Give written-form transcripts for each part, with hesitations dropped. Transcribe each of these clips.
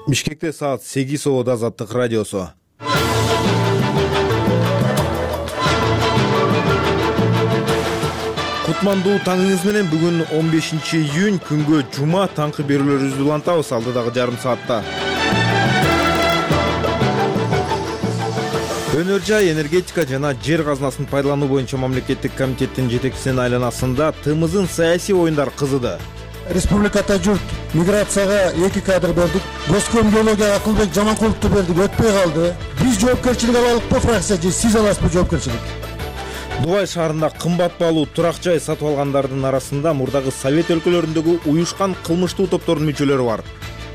Бишкекте саат 8 обод Азаттык радиосу. Кутмандуу таңыңыз менен бүгүн 15-июнь күнгө жума таңкы берүүлөрүбүздү улантабыз алдыдагы жарым саатта. Өнөр жай, энергетика жана жер казынасын пайдалануу боюнча мамлекеттик комитеттин жетекчисинин айланасында ТМЗдын саясий оюндар кызыды. Республикада журт миграцияга 2 кадр бердик. Госком биологияга Акылбек Жаманкуловду бердик, өтпөй калды. Биз жоопкерчилик алалыкпы фракция же сиз аласызбы жоопкерчилик? Дубай шаарында кымбат баалуу турак жай сатып алгандардын арасында мурдагы Совет өлкөлөрүндөгү уюшкан кылмыштуу топтордун мүчөлөрү бар.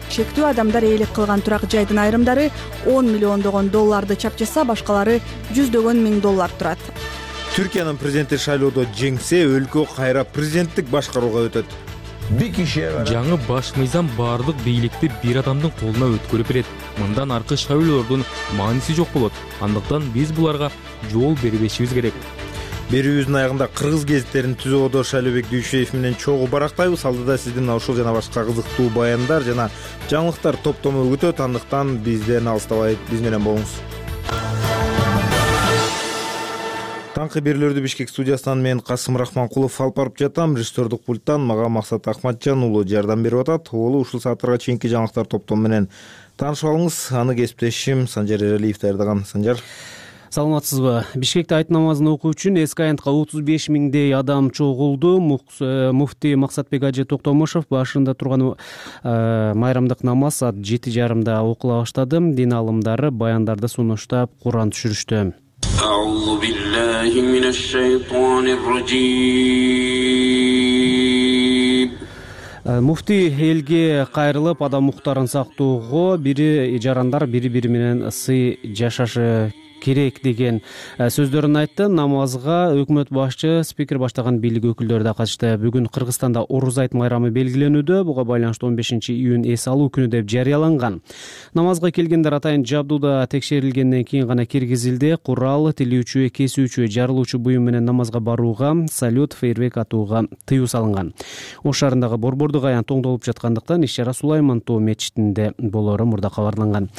Шектүү адамдар ээлик кылган турак жайдын айрымдары 10 миллиондогон долларды чапчаса, башкалары жүздөгөн миң доллар турат. Түркиянын президенти шайлоодо жеңсе, өлкө кайра президенттик башкарууга өтөт. Жаңы баш мыйзам баардык бийликти бир адамдын колуна өткөрүп берет. Мындан аркы шайлоолордун мааниси жок болот. Андыктан биз буларга жол бербешибиз керек. Берүүбүздүн аягында кыргыз гезиттерин түзүүдө Шайлообек Дүйшеев менен чогуу барактайбыз. Алдыда сиздин ушул жана башка кызыктуу баяндар жана жаңылыктар топтому күтөт. Андыктан бизден алыстабай, биз менен болуңуз. Таңкы берүүлөрдү Бишкек студиясынан мен Касым Рахманкулов алып барып жатам. Режиссердук пульттан мага Максат Акматжан уулу жардам берип атат. Уулу ушул сааттарга чейинки жаңылыктар топтому менен таанышып алыңыз. Аны кесиптешим Санжар Эралиев даярдаган. Санжар. Саламатсызбы? Бишкекте айт намазын окуу үчүн эски аянтка 35 миңдей адам чогулду. Муфтий Максатбек Ажы Токтомушев башында турган майрамдык намаз саат 7:30 окула баштады. Дин алымдары баяндарды сунуштап Куран түшүрүштү. أعوذ بالله من الشيطان الرجيم. Муфтий элге кайрылып, адам укуктарын сактоого, жарандар бири-бири менен ысый жашашы керек деген сөздөрүн айтты. Намазга өкмөт башчы, спикер баштаган бийлик өкүлдөрү да катышты. Бүгүн Кыргызстанда Орус айт майрамы белгиленүүдө. Буга байланыштуу 15-июнь эс алуу күнү деп жарыяланган. Намазга келгендер атайын жабдууда текшерилгенден кийин гана киргизилди. Курал, тилүүчү, кесүүчү, жарылуучу буюм менен намазга барууга, салют, фейерверк атууга тыюу салынган. Ош шаарындагы борбордук аянт оңдолуп жаткандыктан иш-чара Сулайман Тоо мечитинде болоору мурда кабарланган.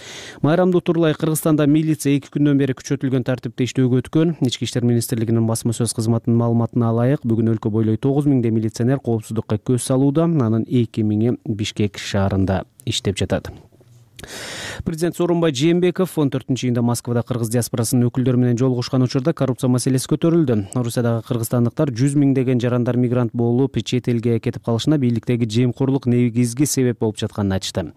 Майрамды турлай Кыргызстанда милиция 2 күндөн бери күчөтүлгөн тартипте иштөөгө өткөн. Ички иштер министрлигинин басма сөз кызматынын маалыматына ылайык, бүгүн өлкө бойлой 9 миңдей милиционер коопсуздукка көз салууда. Анын 2 миңи Бишкек шаарында иштеп жатат. Президент Сооронбай Жээнбеков 14-июнда Москвада кыргыз диаспорасынын өкүлдөрү менен жолугушкан учурда коррупция маселеси көтөрүлдү. Орусиядагы кыргызстандыктар 100 миңдеген жарандар мигрант болуп, чет элге кетип калышына бийликтеги жемкорлук негизги себеп болуп жатканын айтышты.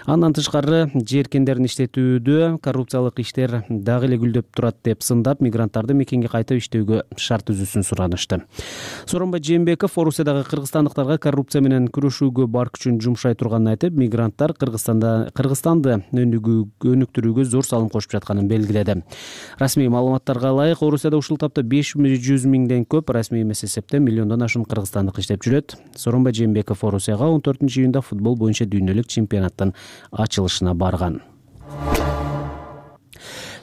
Андан тышкары жер эркиндерин иштетүүдө коррупциялык иштер дагы эле гүлдөп турат деп сындап, мигранттарды мекенге кайтып иштөөгө шарт түзүүсүн суранышты. Сооронбай Жээнбеков Орусиядагы кыргызстандыктарга коррупция менен күрөшүүгө бар күчүн жумшай турганын айтып, мигранттар Кыргызстанды өнүктүрүүгө зор салым кошуп жатканын белгиледи. Расмий маалыматтарга ылайык, Орусияда ушул тапта 500 миңден көп, расмий эмес эсепте миллиондон ашуун кыргызстандык иштеп жүрөт. Сооронбай Жээнбеков Орусияга 14-июнда футбол боюнча дүйнөлүк чемпионаттын ачылышына барган.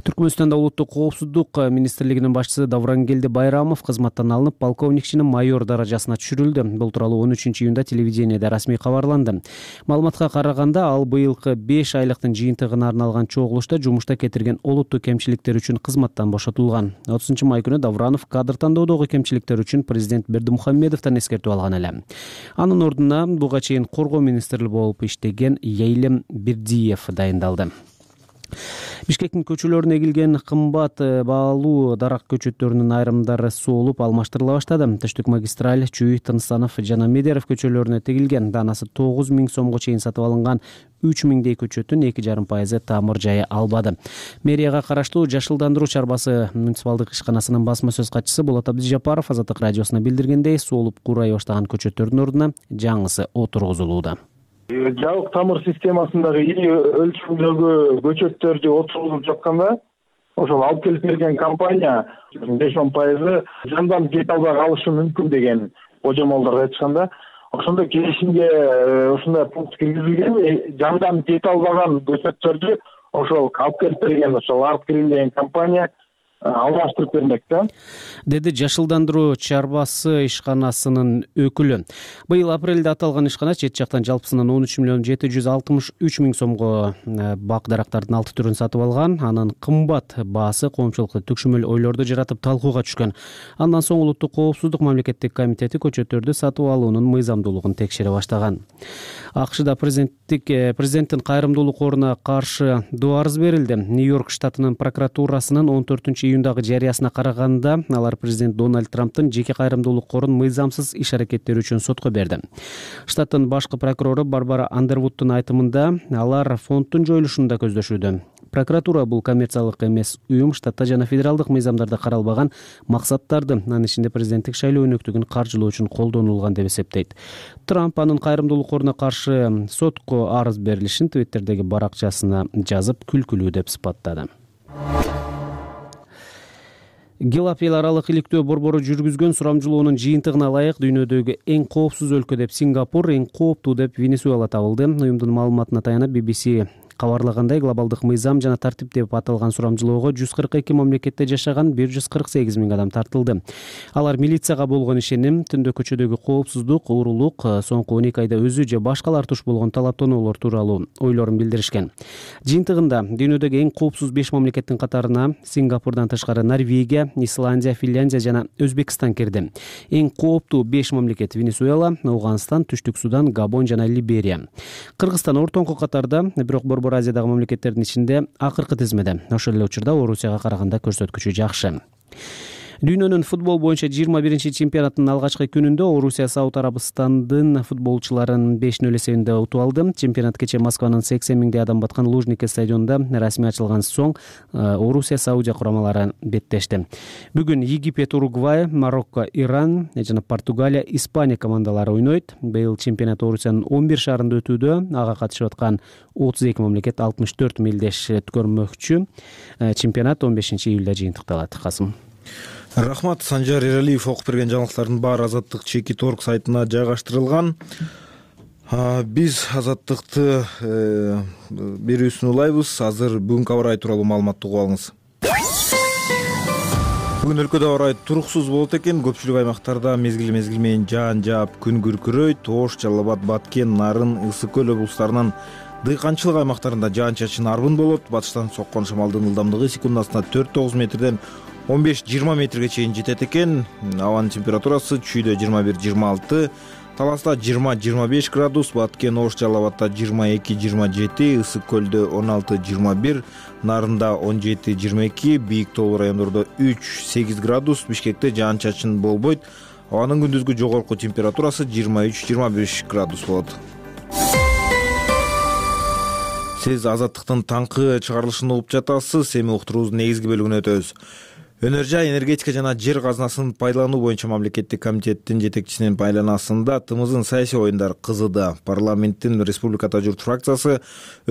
Түркмөнстанда улуттук коопсуздук министрлигинин башчысы Даврангелди Байрамов кызматтан алынып, полковник чини майор даражасына түшүрүлдү. Бул тууралуу 13-июнда телевидениеде расмий кабарланды. Маалыматка караганда, ал быйылкы 5 айлыктын жыйынтыгына арналган чогулушта жумушта кетирген олуттуу кемчиликтер үчүн кызматтан бошотулган. 30-май күнү Давранов кадр тандоодогу кемчиликтер үчүн президент Бердымухамедовдон эскертүү алган эле. Анын ордуна буга чейин коргоо министри болуп иштеген Эйлем Бирдиев дайындалды. Бишкектин көчөлөрүнө эгилген кымбат баалуу дарак көчөттөрүнүн айрымдары соолуп алмаштырыла баштады. Түштүк магистраль, Чүй, Тынысанов жана Медеров көчөлөрүнө тегилген. Данасы 9 миң сомго чейин сатып алынган 3 миңдей көчөттүн 2,5% тамыр жайы албады. Мэрияга караштуу Жашылдандыруу чарбасы муниципалдык ишканасынын басма сөз катчысы Болот Абдижапаров Азаттык радиосуна билдиргендей, соолуп курай баштаган көчөттөрдүн ордуна жаңысы отургузулууда. Жабык тамыр системасындагы ири өлчөмдөгү көчөттөрдү отургузуп жатканда, ошол алып келип берген компания 5-10% жандан деталдар алышы мүмкүн деген божомолдорду айтышканда, ошондо келишимге ушундай пункт киргизилген. Жандан деталдаган көчөттөрдү ошол алып келип берген, ошол Арт Грин деген компания алмаштырып бермек да, деди Жашылдандыруу чарбасы ишканасынын өкүлү. Быйыл апрелде аталган ишкана чет жактан жалпысынан 13,763,000 сомго бак дарактардын 6 түрүн сатып алган. Анын кымбат баасы коомчулукта түкшүмөл ойлорду жаратып талкууга түшкөн. Андан соң Улуттук коопсуздук мамлекеттик комитети көчөттөрдү сатып алуунун мыйзамдуулугун текшере баштаган. АКШда президенттин кайрымдуулук коруна каршы доо арыз берилди. Нью-Йорк штатынын прокуратурасынын 14-июндагы жарыясына караганда, алар президент Дональд Трамптын жеке кайрымдуулук корун мыйзамсыз иш-аракеттери үчүн сотко берди. Штаттын башкы прокурору Барбара Андервудтун айтымында, алар фонддун жоюлушун да көздөшүүдө. Прокуратура бул коммерциялык эмес уюм штатта жана федералдык мыйзамдарда каралбаган максаттарды, анын ичинде президенттик шайлоо өнөктүгүн каржылоо үчүн колдонулган деп эсептейт. Трамп анын кайрымдуулук коруна каршы сотко арыз берилишин Твиттердеги баракчасына жазып, күлкүлүү деп сыпаттады. Гелап эл аралык иликтөө борбору жүргүзгөн сурамжылоонун жыйынтыгына ылайык дүйнөдөгү эң коопсуз өлкө деп Сингапур, эң кооптуу деп Венесуэла табылды. Уюмдун маалыматына таянып BBC кабарлагандай, глобалдык мыйзам жана тартип деп аталган сурамжылоого 142 мамлекетте жашаган 148 миң адам тартылды. Алар милицияга болгон ишеним, түндө көчөдөгү коопсуздук, уурулук, соңку 12 айда өзү же башкалар туш болгон талаптоолор тууралуу ойлорун билдиришкен. Жыйынтыгында дүйнөдөгү эң коопсуз 5 мамлекеттин катарына Сингапурдан тышкары Норвегия, Исландия, Финляндия жана Өзбекстан кирди. Эң кооптуу 5 мамлекет Венесуэла, Ауганстан, Түштүк Судан, Габон жана Либерия. Кыргызстан ортоңку катарда, бирок Борбор Азиядагы мамлекеттердин ичинде акыркы тизмеде. Ошол эле учурда Орусияга караганда көрсөткүчү жакшы. Дүйнөнүн футбол боюнча 21-чи чемпионаттын алгачкы күнүндө Орусия Сауд Арабистандын футболчуларын 5-0 эсебинде утуп алды. Чемпионат кечээ Москванын 80 миңдей адам баткан Лужники стадионунда расмий ачылган соң Орусия Саудия курамалары беттешти. Бүгүн Египет, Уругвай, Марокко, Иран жана Португалия, Испания командалары ойнойт. Быйыл чемпионат Орусиянын 11 шаарында өтүүдө. Ага катышып аткан 32 мамлекет 64 мелдеш өткөрмөкчү. Чемпионат 15-июлда жыйынтыкталат. Касым. Рахмат. Санжар Эралиев окуп берген жаңылыктардын баары Азаттык Чекит.орг сайтына жайгаштырылган. Биз Азаттыкты берүүсүн улайбыз. Азыр бүгүнкү аба ырайы тууралуу маалыматты угуп алыңыз. Бүгүн өлкөдө аба ырайы туруксуз болот экен. Көпчүлүк аймактарда мезгил менен жаан жаап, күн күркүрөйт. Ош, Жалал Абад, Баткен, Нарын, Ысык көл облустарынын дыйканчылык аймактарында жаан-чачын арбын болот. Батыштан соккон шамалдын ылдамдыгы секундасына 4-9 метрден 15-20 метрге чейин жетет экен. Абанын температурасы чүйдө 21-26, Таласта 20-25 градус, Баткен, Ош, Жалал Абадта 22-27, Ысык көлдө 16-21, Нарында 17-22, бийик тоолуу райондордо 3-8 градус, Бишкекте жаан-чачын болбойт. Абанын күндүзгү жогорку температурасы 23-25 градус болот. Сиз Азаттыктын таңкы чыгарылышын угуп жатасыз. Эми уктуруубуздун негизги бөлүгүнө өтөбүз. Өнөр жай, энергетика жана жер казынасын пайдалануу боюнча мамлекеттик комитеттин жетекчисинин байланасында ТМЗдын саясий оюндар кызыды. Парламенттин Республикада журт фракциясы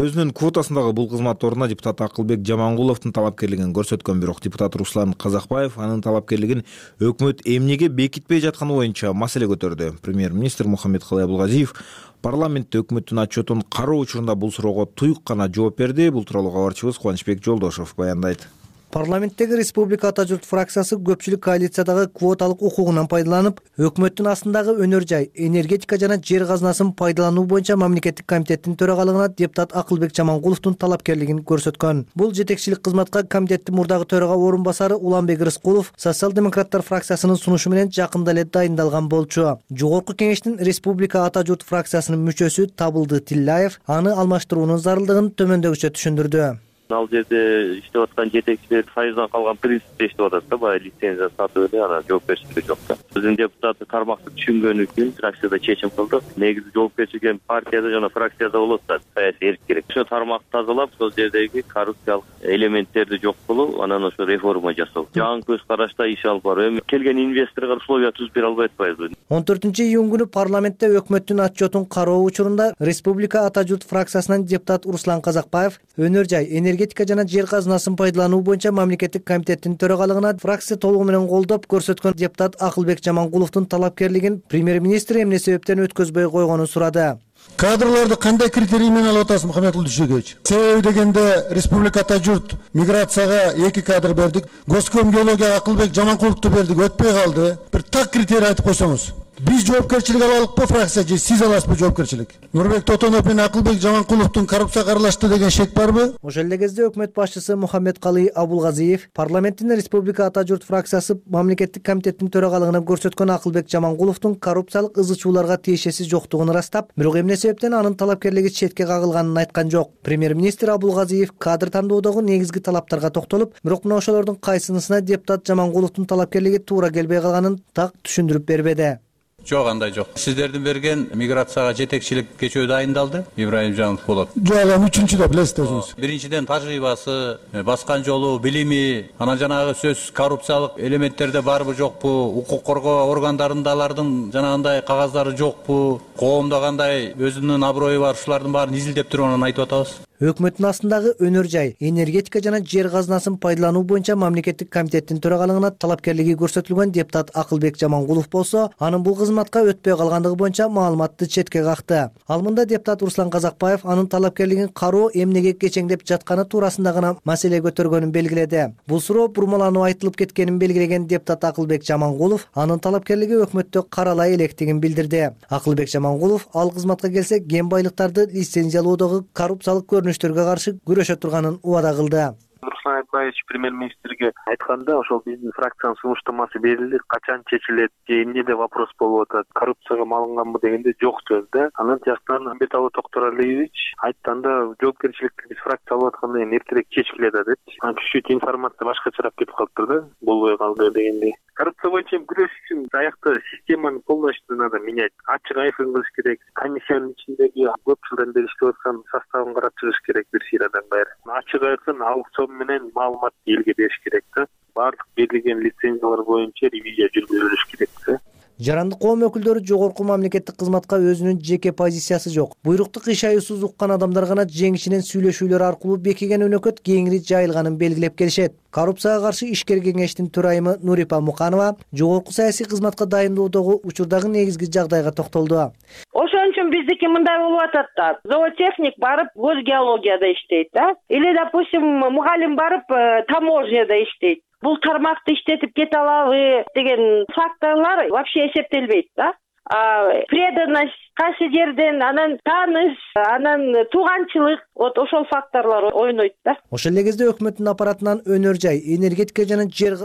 өзүнүн квотасындагы бул кызмат ордуна депутат Акылбек Жамангуловдун талапкерлигин көрсөткөн, бирок депутат Руслан Казакбаев анын талапкерлигин өкмөт эмнеге бекитпей жатканы боюнча маселе көтөрдү. Премьер-министр Мухаммедкалый Абылгазиев парламентте өкмөттүн отчетун кароо учурунда бул суроого туюк гана жооп берди. Бул тууралуу кабарчыбыз Кубанычбек Жолдошев баяндайт. Парламенттеги Республика ата журт фракциясы көпчүлүк коалициядагы квоталык укугунан пайдаланып, өкмөттүн астындагы өнөр жай, энергетика жана жер казынасын пайдалануу боюнча мамлекеттик комитеттин төрагалыгына депутат Акылбек Жамангуловдун талапкерлигин көрсөткөн. Бул жетекчилик кызматка комитеттин мурдагы төрага орун басары Уланбек Рыскулов социал-демократтар фракциясынын сунушу менен жакында эле дайындалган болчу. Жогорку кеңештин Республика ата журт фракциясынын мүчөсү Табылды Тиллаев аны алмаштыруунун зарылдыгын төмөндөгүчө түшүндүрдү. Ал жерде иштеп аткан жетекчилер файыздан калган принципте иштеп атат да, баягы лицензия сатып эле анан жоопкерчилиги жок да. Биздин депутаты тармакты түшүнгөн үчүн фракцияда чечим кылдык. Негизи жоопкерчилик эми партияда жана фракцияда болот да, саясий эрк керек. Ошо тармакты тазалап, сол жердеги коррупциялык элементтерди жок кылуу, анан ошо реформа жасоо. Жаңы көз карашта иш алып баруу. Эми келген инвесторго условия түзүп бере албай атпайбызбы? 14-июнь күнү парламентте өкмөттүн отчетун кароо учурунда Республика ата журт фракциясынан депутат Руслан Казакбаев өнөр жай, энергетика жана жер казынасын пайдалануу боюнча мамлекеттик комитеттин төрагалыгына фракция толугу менен колдоп көрсөткөн депутат Акылбек Жамангуловдун талапкерлигин премьер-министр эмне себептен өткөзбөй койгонун сурады. Кадрларды кандай критерий менен алып атасыз, Мухаммедкулов Дүйшөгөевич? Себеби дегенде Республика Ата журт миграцияга 2 кадр бердик. Госком геологияга Акылбек Жаманкуловду бердик, өтпөй калды. Бир так критерий айтып койсоңуз. Биз жоопкерчилик алалыкпы фракция же сиз аласызбы жоопкерчилик? Нурбек Тотонов менен Акылбек Жаманкуловдун коррупцияга аралашты деген шек барбы? Ошол эле кезде өкмөт башчысы Мухаммедкалый Абулгазиев парламенттин Республика Ата журт фракциясы мамлекеттик комитеттин төрагалыгына көрсөткөн Акылбек Жаманкуловдун коррупциялык ызы-чууларга тиешеси жоктугун ырастап, бирок эмне себептен анын талапкерлиги четке кагылганын айткан жок. Премьер-министр Абулгазиев кадр тандоодогу негизги талаптарга токтолуп, бирок мына ошолордун кайсынысына депутат Жаманкуловдун талапкерлиги туура келбей калганын так түшүндүрүп бербеди. Жок, андай жок. Сиздердин берген миграцияга жетекчилик кечөө дайындалды. Ибраим Жанов болот. Жок, аны үчүнчүдө билесиз өзүңүз. Биринчиден тажрыйбасы, баскан жолу, билими, анан жанагы сөз коррупциялык элементтерде барбы жокпу, укук коргоо органдарында алардын жанагындай кагаздары жокпу, коомдо кандай өзүнүн аброю бар, ушулардын баарын изилдеп туруп анан айтып атабыз. Өкмөттүн астындагы өнөр жай, энергетика жана жер казынасын пайдалануу боюнча мамлекеттик комитеттин төрагалыгына талапкерлиги көрсөтүлгөн депутат Акылбек Жаманкулов болсо, анын бул кызматка өтпөй калгандыгы боюнча маалыматты четке какты. Ал мында депутат Руслан Казакбаев анын талапкерлигин кароо эмнеге кечеңдеп жатканы туурасында гана маселе көтөргөнүн белгиледи. Бул суроо бурмаланып айтылып кеткенин белгилеген депутат Акылбек Жаманкулов анын талапкерлиги өкмөттө каралай электигин билдирди. Акылбек Жаманкулов ал кызматка келсе кен байлыктарды лицензиялоодогу коррупциялык көрүнүштөргө каршы күрөшө турганын убада кылды. Руслан Айтбаевич премьер-министрге айтканда, ошол биздин фракциянын сунуштамасы берилди, качан чечилет, эмнеде вопрос болуп атат, коррупцияга малынганбы дегенде жок сөз да. Анан тияктан Амбеталы Токторалиевич айтканда, жоопкерчиликти биз фракция алып аткандан кийин эртерээк чечкилет деп. Анан чуть-чуть информация башкачараак кетип калыптыр да, болбой калды дегендей. Коррупция боюнча күрөш үчүн аякта системаны полностью надо менять. Ачык айкын кылыш керек. Комиссиянын ичиндеги көп жылдан бери иштеп аткан составын карап чыгыш керек бир сыйрадан баары. Ачык айкын аукцион менен маалымат элге бериш керек да. Баардык берилген лицензиялар боюнча ревизия жүргүзүлүш керек да. Жарандык коом өкүлдөрү жогорку мамлекеттик кызматка өзүнүн жеке позициясы жок. Буйрукту кыйшаюусуз уккан адамдар гана жеңишинен сүйлөшүүлөр аркылуу бекиген өнөкөт кеңири жайылганын белгилеп келишет. Коррупцияга каршы ишкер кеңештин төрайымы Нурипа Муканова жогорку саясий кызматка дайындоодогу учурдагы негизги жагдайга токтолду. Ошон үчүн биздики мындай болуп атат да. Зоотехник барып госгеологияда иштейт да. Или, допустим, мугалим барып таможняда иштейт. Бул тармакты иштетип кете алабы деген факторлор вообще эсептелбейт да. Преданность кайсы жерден, анан тааныш, анан тууганчылык, вот ошол факторлор ойнойт да. Ошол эле кезде өкмөттүн аппаратынан өнөр жай, энергетика жана жер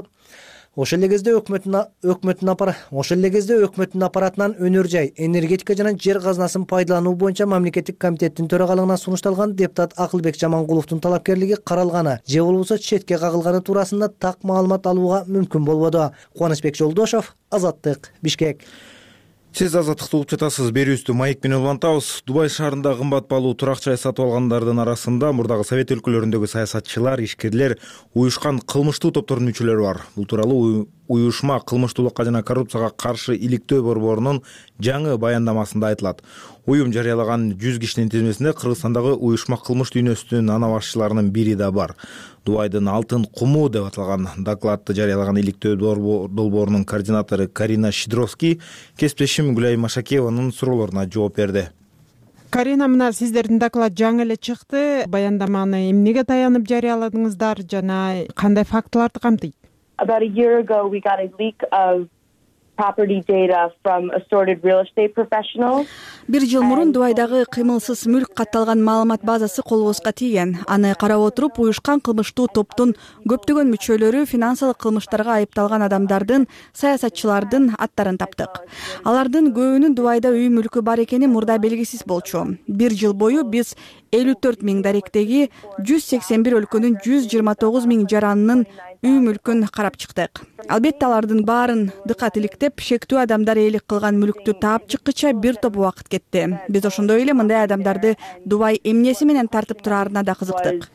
Ошол эле кезде өкмөттүн аппаратынан өнөр жай, энергетика жана жер казынасын пайдалануу боюнча мамлекеттик комитеттин төрагалыгына сунушталган депутат Акылбек Жаманкуловдун талапкерлиги каралганы же болбосо четке кагылганы туурасында так маалымат алууга мүмкүн болбоду. Кубанычбек Жолдошов, Азаттык, Бишкек. Сиз Азаттыкты угуп жатасыз. Берүүбүздү маек менен улантабыз. Дубай шаарында кымбат баалуу турак жай сатып алгандардын арасында мурдагы Совет өлкөлөрүндөгү саясатчылар, ишкерлер, уюшкан кылмыштуу топтордун мүчөлөрү бар. Бул тууралуу уюшма кылмыштуулукка жана коррупцияга каршы иликтөө борборунун жаңы баяндамасында айтылат. Уюм жарыялаган 100 кишинин тизмесинде Кыргызстандагы уюшма кылмыш дүйнөсүнүн ана башчыларынын бири да бар. Дубайдын алтын куму деп аталган докладты жарыялаган иликтөө долбоорунун координатору Карина Шидровский кесиптешим Гүлай Машакееванын суроолоруна жооп берди. Карина, мына сиздердин доклад жаңы эле чыкты. Баяндаманы эмнеге таянып жарыяладыңыздар жана кандай фактыларды камтыйт? About a year ago, we got a leak of property data from assorted real estate professionals. Бир жыл мурун Дубайдагы кыймылсыз мүлк катталган маалымат базасы колубузга тийген. Аны карап отуруп, уюшкан кылмыштуу топтун көптөгөн мүчөлөрү финансылык кылмыштарга айыпталган адамдардын, саясатчылардын аттарын таптык. Алардын көбүнүн Дубайда үй мүлкү бар экени мурда белгисиз болчу. Бир жыл бою биз 54 000 даректеги 181 өлкөнүн 129 000 жаранынын үй мүлкүн карап чыктык. Албетте алардын баарын дыкат иликтеп, шектүү адамдар ээлик кылган мүлктү таап чыккыча бир топ убакыт кетти. Биз ошондой эле мындай адамдарды Дубай эмнеси менен тартып турарына да кызыктык.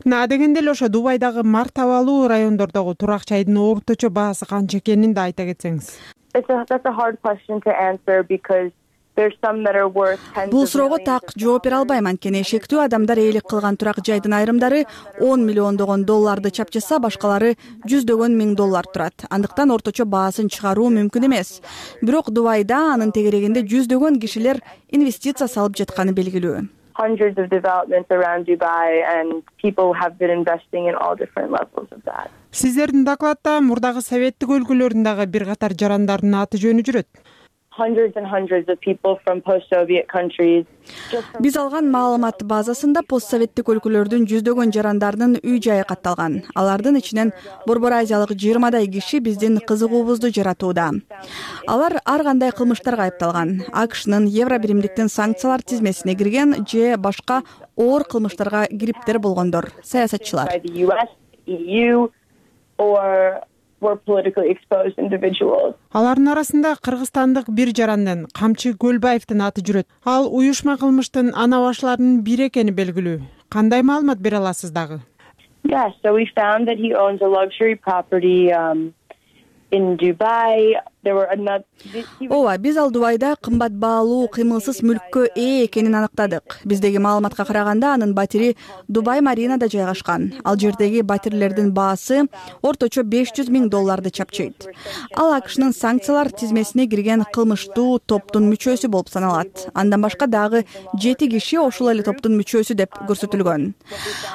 Дегенде эле ошо Дубайдагы мартабалуу райондордогу турак жайдын орточо баасы канча экенин да айта кетсеңиз. That's a hard question to answer because Бул суроого так жооп бере албайм, анткени эшектүү адамдар ээлик кылган турак жайдын айрымдары 10 миллиондогон долларды чапчаса, башкалары жүздөгөн миң доллар турат. Андыктан орточо баасын чыгаруу мүмкүн эмес. Бирок Дубайда анын тегерегинде жүздөгөн кишилер инвестиция салып жатканы белгилүү. Hundreds of developments around Dubai, and people have been investing in all different levels of that. Сиздердин докладта мурдагы советтик өлкөлөрдүн дагы бир катар жарандардын аты жөнү жүрөт. Hundreds and hundreds of people from post-Soviet countries. Биз алган маалымат базасында постсоветтик өлкөлөрдүн жүздөгөн жарандарынын үй жайы катталган. Алардын ичинен Борбор Азиялык 20дай киши биздин кызыгуубузду жаратууда. Алар ар кандай кылмыштарга айыпталган. АКШнын Евробиримдиктин санкциялар тизмесине кирген же башка оор кылмыштарга кириптер болгондор, саясатчылар. Алардын арасында кыргызстандык бир жарандын, Камчы Көлбаевдин аты жүрөт. Ал уюшма кылмыштын ана башларынын бири экени белгилүү. Кандай маалымат бере аласыз дагы? Yeah, so we found that he owns a luxury property in Dubai. Ооба, биз ал Дубайда кымбат баалуу кыймылсыз мүлккө ээ экенин аныктадык. Биздеги маалыматка караганда анын батири Дубай Маринада жайгашкан. Ал жердеги батирлердин баасы орточо 500 миң долларды чапчыйт. Ал АКШнын санкциялар тизмесине кирген кылмыштуу топтун мүчөсү болуп саналат. Андан башка дагы 7 киши ошол эле топтун мүчөсү деп көрсөтүлгөн.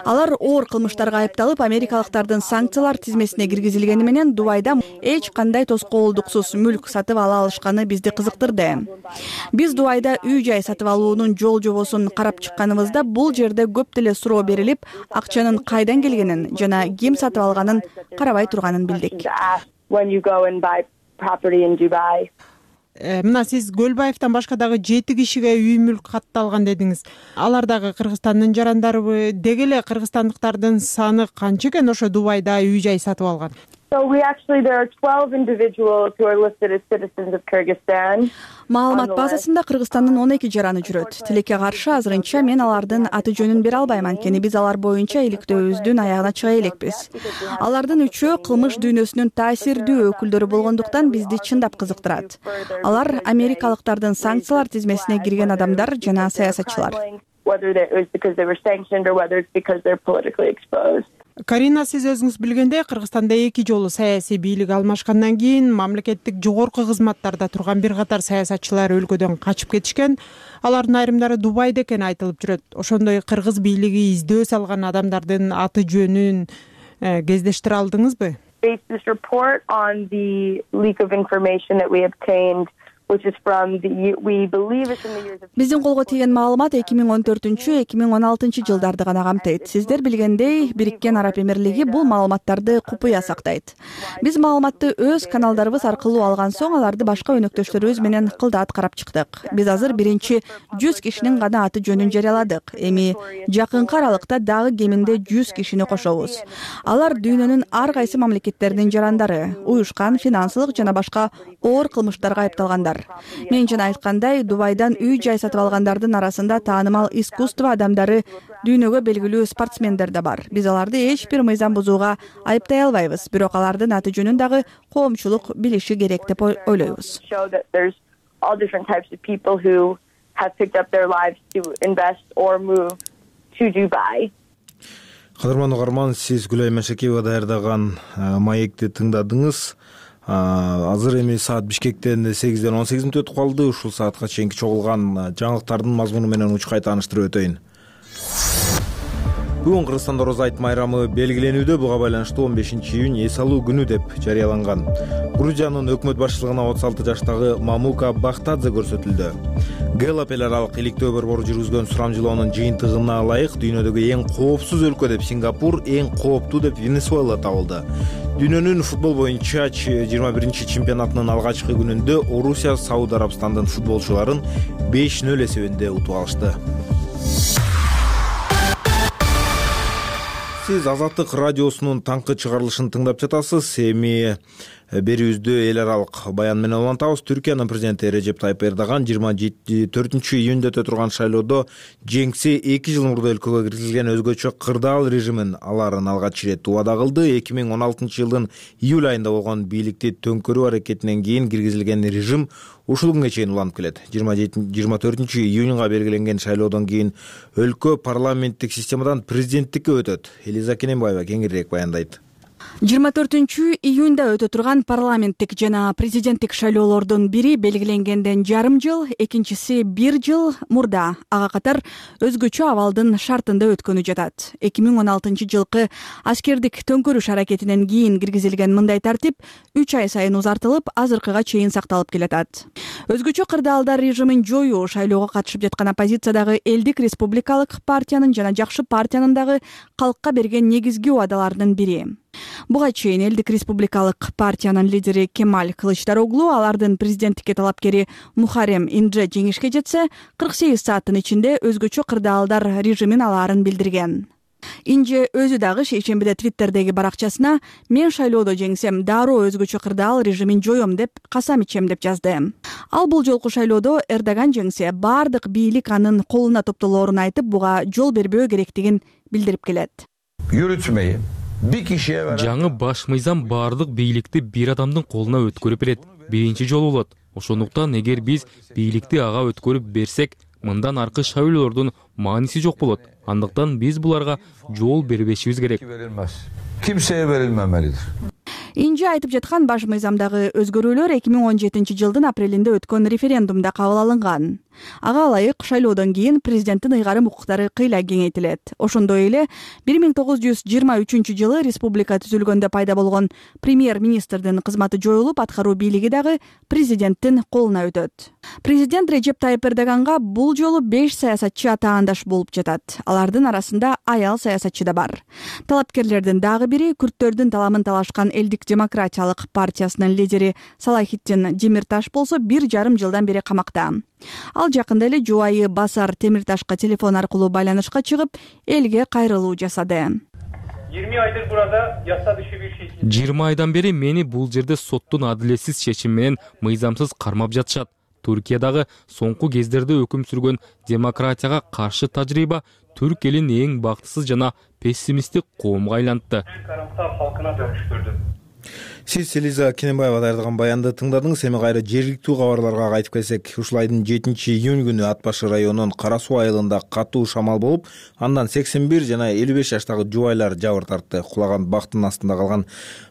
Алар оор кылмыштарга айыпталып, америкалыктардын санкциялар тизмесине киргизилгени менен Дубайда эч кандай тоскоолдуксуз мүлк сатып ала алышканы бизди кызыктырды. Биз Дубайда үй жай сатып алуунун жол жобосун карап чыкканыбызда бул жерде көп деле суроо берилип, акчанын кайдан келгенин жана ким сатып алганын карабай турганын билдик. Мына сиз Көлбаевден башка дагы 7 кишиге үй мүлк катталган дедиңиз. Алар дагы Кыргызстандын жарандарыбы? Деги эле кыргызстандыктардын саны канча экен ошо Дубайда үй жай сатып алган? There are 12 individuals who are listed as citizens of Kyrgyzstan. Маалымат базасында Кыргызстандын 12 жараны жүрөт. Тилекке каршы азырынча мен алардын аты жөнүн бере албайм, анткени биз алар боюнча иликтөөбүздүн аягына чыга элекпиз. Алардын үчөө кылмыш дүйнөсүнүн таасирдүү өкүлдөрү болгондуктан бизди чындап кызыктырат. Алар америкалыктардын санкциялар тизмесине кирген адамдар жана саясатчылар. Карина, сиз өзүңүз билгендей, Кыргызстанда 2 жолу саясий бийлик алмашкандан кийин мамлекеттик жогорку кызматтарда турган бир катар саясатчылар өлкөдөн качып кетишкен. Алардын айрымдары Дубайда экени айтылып жүрөт. Ошондой кыргыз бийлиги издөө салган адамдардын аты жөнүн кездештире алдыңызбы? Биздин колго тийген маалымат 2014-2016 жылдарды гана камтыйт. Сиздер билгендей, Бириккен Араб Эмирлиги бул маалыматтарды купуя сактайт. Биз маалыматты өз каналдарыбыз аркылуу алган соң аларды башка өнөктөштөрүбүз менен кылдаат карап чыктык. Биз азыр биринчи 100 кишинин гана аты жөнүн жарыяладык. Эми жакынкы аралыкта дагы кеминде 100 кишини кошобуз. Алар дүйнөнүн ар кайсы мамлекеттеринин жарандары, уюшкан финансылык жана башка оор кылмыштарга айыпталгандар. Мен жана айткандай, Дубайдан үй жай сатып алгандардын арасында таанымал искусство адамдары, дүйнөгө белгилүү спортсмендер да бар. Биз аларды эч бир мыйзам бузууга айыптай албайбыз, бирок алардын аты жөнүн дагы коомчулук билиши керек деп ойлойбуз. Кадырман угарман, сиз Гүлай Машекеева даярдаган маекти тыңдадыңыз. Азыр эми саат Бишкектен 8ден 18 мүнөт өтүп калды. Ушул саатка чейинки чогулган жаңылыктардын мазмуну менен учкай тааныштырып өтөйүн. Бүгүн Кыргызстанда Орозо айт майрамы белгиленүүдө. Буга байланыштуу 15-июнь эс алуу күнү деп жарыяланган. Грузиянын өкмөт башчылыгына 36 жаштагы Мамука Бахтадзе көрсөтүлдү. Гэллап эл аралык иликтөө борбору жүргүзгөн сурамжылоонун жыйынтыгына ылайык дүйнөдөгү эң коопсуз өлкө деп Сингапур, эң кооптуу деп Венесуэла табылды. Дүйнөнүн футбол боюнча 21-чи чемпионатынын алгачкы күнүндө Орусия Сауд Арабстандын футболчуларын 5-0 эсебинде утуп алышты. Сиз Азаттык радиосунун таңкы чыгарылышын тыңдап жатасыз. Эми берүүбүздү эл аралык баян менен улантабыз. Түркиянын президенти Режеп Тайып Эрдоган 24-июнда өтө турган шайлоодо жеңси 2 жыл мурда өлкөгө киргизилген өзгөчө кырдаал режимин аларын алгач ирет убада кылды. 2016 жылдын июль айында болгон бийликти төңкөрүү аракетинен кийин киргизилген режим ушул күнгө чейин уланып келет. 24-июнга белгиленген шайлоодон кийин өлкө парламенттик системадан президенттикке өтөт. Элиза Кененбаева кеңирээк баяндайт. 24-июнда өтө турган парламенттик жана президенттик шайлоолордун бири белгиленгенден жарым жыл, экинчиси 1 жыл мурда, ага катар өзгөчө абалдын шартында өткөнү жатат. 2016 жылкы аскердик төңкөрүш аракетинен кийин киргизилген мындай тартип 3 ай сайын узартылып, азыркыга чейин сакталып келатат. Өзгөчө кырдаалдар режимин жоюу шайлоого катышып жаткан оппозициядагы Элдик республикалык партиянын жана Жакшы партиянын дагы калкка берген негизги убадаларынын бири. Буга чейин Элдик республикалык партиянын лидери Кемаль Кылычдароглу алардын президенттикке талапкери Мухаррем Индже жеңишке жетсе, 48 сааттын ичинде өзгөчө кырдаалдар режимин алаарын билдирген. Индже өзү дагы шейшембиде Твиттердеги баракчасына «Мен шайлоодо жеңсем, дароо өзгөчө кырдаал режимин жоём деп касам ичем» деп жазды. Ал бул жолку шайлоодо Эрдоган жеңсе, бардык бийлик анын колуна топтолоорун айтып, буга жол бербөө керектигин билдирип келет. Yürütmeyi жаңы баш мыйзам бардык бийликти бир адамдын колуна өткөрүп берет. Биринчи жолу болот. Ошондуктан эгер биз бийликти ага өткөрүп берсек, мындан аркы шайлоолордун мааниси жок болот. Андыктан биз буларга жол бербешибиз керек. Kimseye verilmemelidir. Индже айтып жаткан баш мыйзамдагы өзгөрүүлөр 2017 жылдын апрелинде өткөн референдумда кабыл алынган. Ага ылайык шайлоодон кийин президенттин ыйгарым укуктары кыйла кеңейтилет. Ошондой эле 1923 жылы республика түзүлгөндө пайда болгон премьер-министрдин кызматы жоюлуп, аткаруу бийлиги дагы президенттин колуна өтөт. Президент Режеп Тайып Эрдоганга бул жолу 5 саясатчы атаандаш болуп жатат. Алардын арасында аял саясатчы да бар. Талапкерлердин дагы бири күрттөрдүн таламын талашкан Элдик демократиялык партиясынын лидери Салахитдин Демирташ болсо 1,5 жылдан бери камакта. Ал жакында эле жубайы Басар Темирташка телефон аркылуу байланышка чыгып, элге кайрылуу жасады. 20 айдыр burada yasa dışı bir şey. 20 айдан бери мени бул жерде соттун адилетсиз чечими менен мыйзамсыз кармап жатышат. Түркиядагы соңку кездерде өкүм сүргөн демократияга каршы тажрыйба түрк элин эң бактысыз жана пессимисттик коомго айлантты. Karamsar halkına dönüştürdü. Сиз Элиза Кененбаева даярдаган баянды тыңдадыңыз. Эми кайра жергиликтүү кабарларга кайтып келсек, ушул айдын 7-июнь күнү Ат башы районунун Кара Суу айылында катуу шамал болуп, андан 81 жана 55 жаштагы жубайлар жабыр тартты. Кулаган бактын астында калган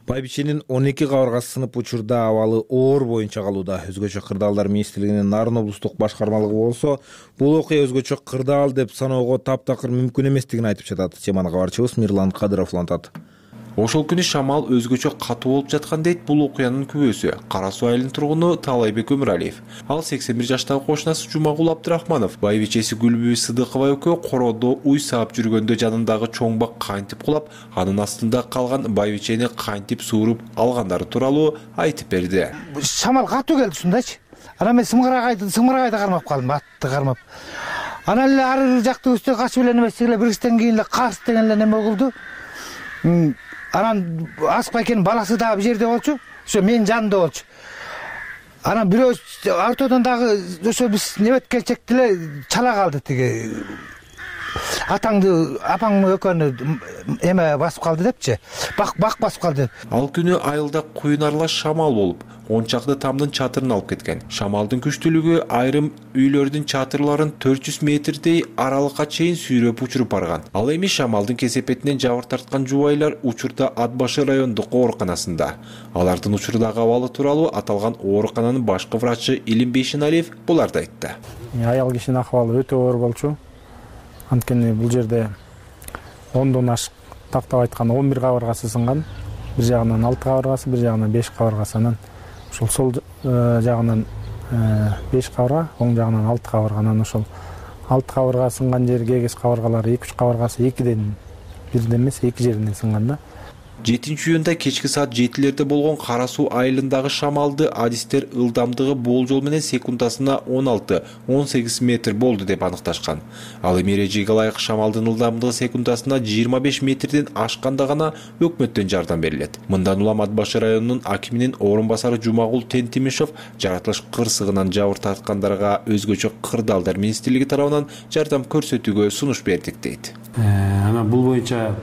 байбиченин 12 кабыргасы сынып, учурда абалы оор боюнча калууда. Өзгөчө кырдаалдар министрлигинин Нарын облустук башкармалыгы болсо, бул окуя өзгөчө кырдаал деп саноого таптакыр мүмкүн эместигин айтып жатат. Теманы кабарчыбыз Мирлан Кадыров улантат. Ошол күнү шамал өзгөчө катуу болуп жаткан дейт бул окуянын күбөсү. Кара Суу айылынын тургуну Талайбек Өмүралиев. Ал 81 жаштагы кошунасы Жумагул Абдрахманов. Байбичеси Гүлбү Сыдыкова экөө короодо уй саап жүргөндө жанындагы чоң бак кантип кулап, анын астында калган байбичени кантип сууруп алгандары тууралуу айтып берди. Шамал катуу келди ушундайчы. Анан мен сымырагайда кармап калдым, атты кармап. Анан эле ары жакты үстө качып эле немеси эле бир кичтен кийин эле карс деген эле неме болду. Анан Аспай экенин баласы дагы бир жерде болчу, ошо менин жанымда болчу. Анан бирөө ортодон дагы ошо биз небет келчекти эле чала калды тиги. Атаңды, апаңды экөөнү эме басып калды депчи. Бак басып калды. Ал күнү айылда куюн аралаш шамал болуп, 10 чакты тамдын чатырын алып кеткен. Шамалдын күчтүүлүгү айрым үйлөрдүн чатырларын 400 метрдей аралыкка чейин сүйрөп учуруп барган. Ал эми шамалдын кесепетинен жабыр тарткан жубайлар учурда Ат башы райондук ооруканасында. Алардын учурдагы абалы тууралуу аталган оорукананын башкы врачы Илим Бейшеналиев буларды айтты. Аял кишинин акыбалы өтө оор болчу. Анткени бул жерде 10дон ашык, тактап айтканда 11 кабыргасы сынган. Бир жагынан 6 кабыргасы, бир жагынан 5 кабыргасы. Анан ошол сол жагынан 5 кабырга, оң жагынан 6 кабырга. Анан ошол 6 кабырга сынган жер кегес кабыргалары 2-3 кабыргасы 2ден 1ден эмес 2 жеринен сынган да. 7-июнда кечки саат 7-лерде болгон Кара Суу айылындагы шамалды адистер ылдамдыгы болжол менен секундасына 16-18 метр болду деп аныкташкан. Ал эми эрежеге ылайык шамалдын ылдамдыгы секундасына 25 метрден ашканда гана өкмөттөн жардам берилет. Мындан улам Ат Башы районунун акиминин орун басары Жумагул Тентимишев жаратылыш кырсыгынан жабыр тарткандарга өзгөчө кырдаалдар министрлиги тарабынан жардам көрсөтүүгө сунуш бердик дейт. Ана бул боюнча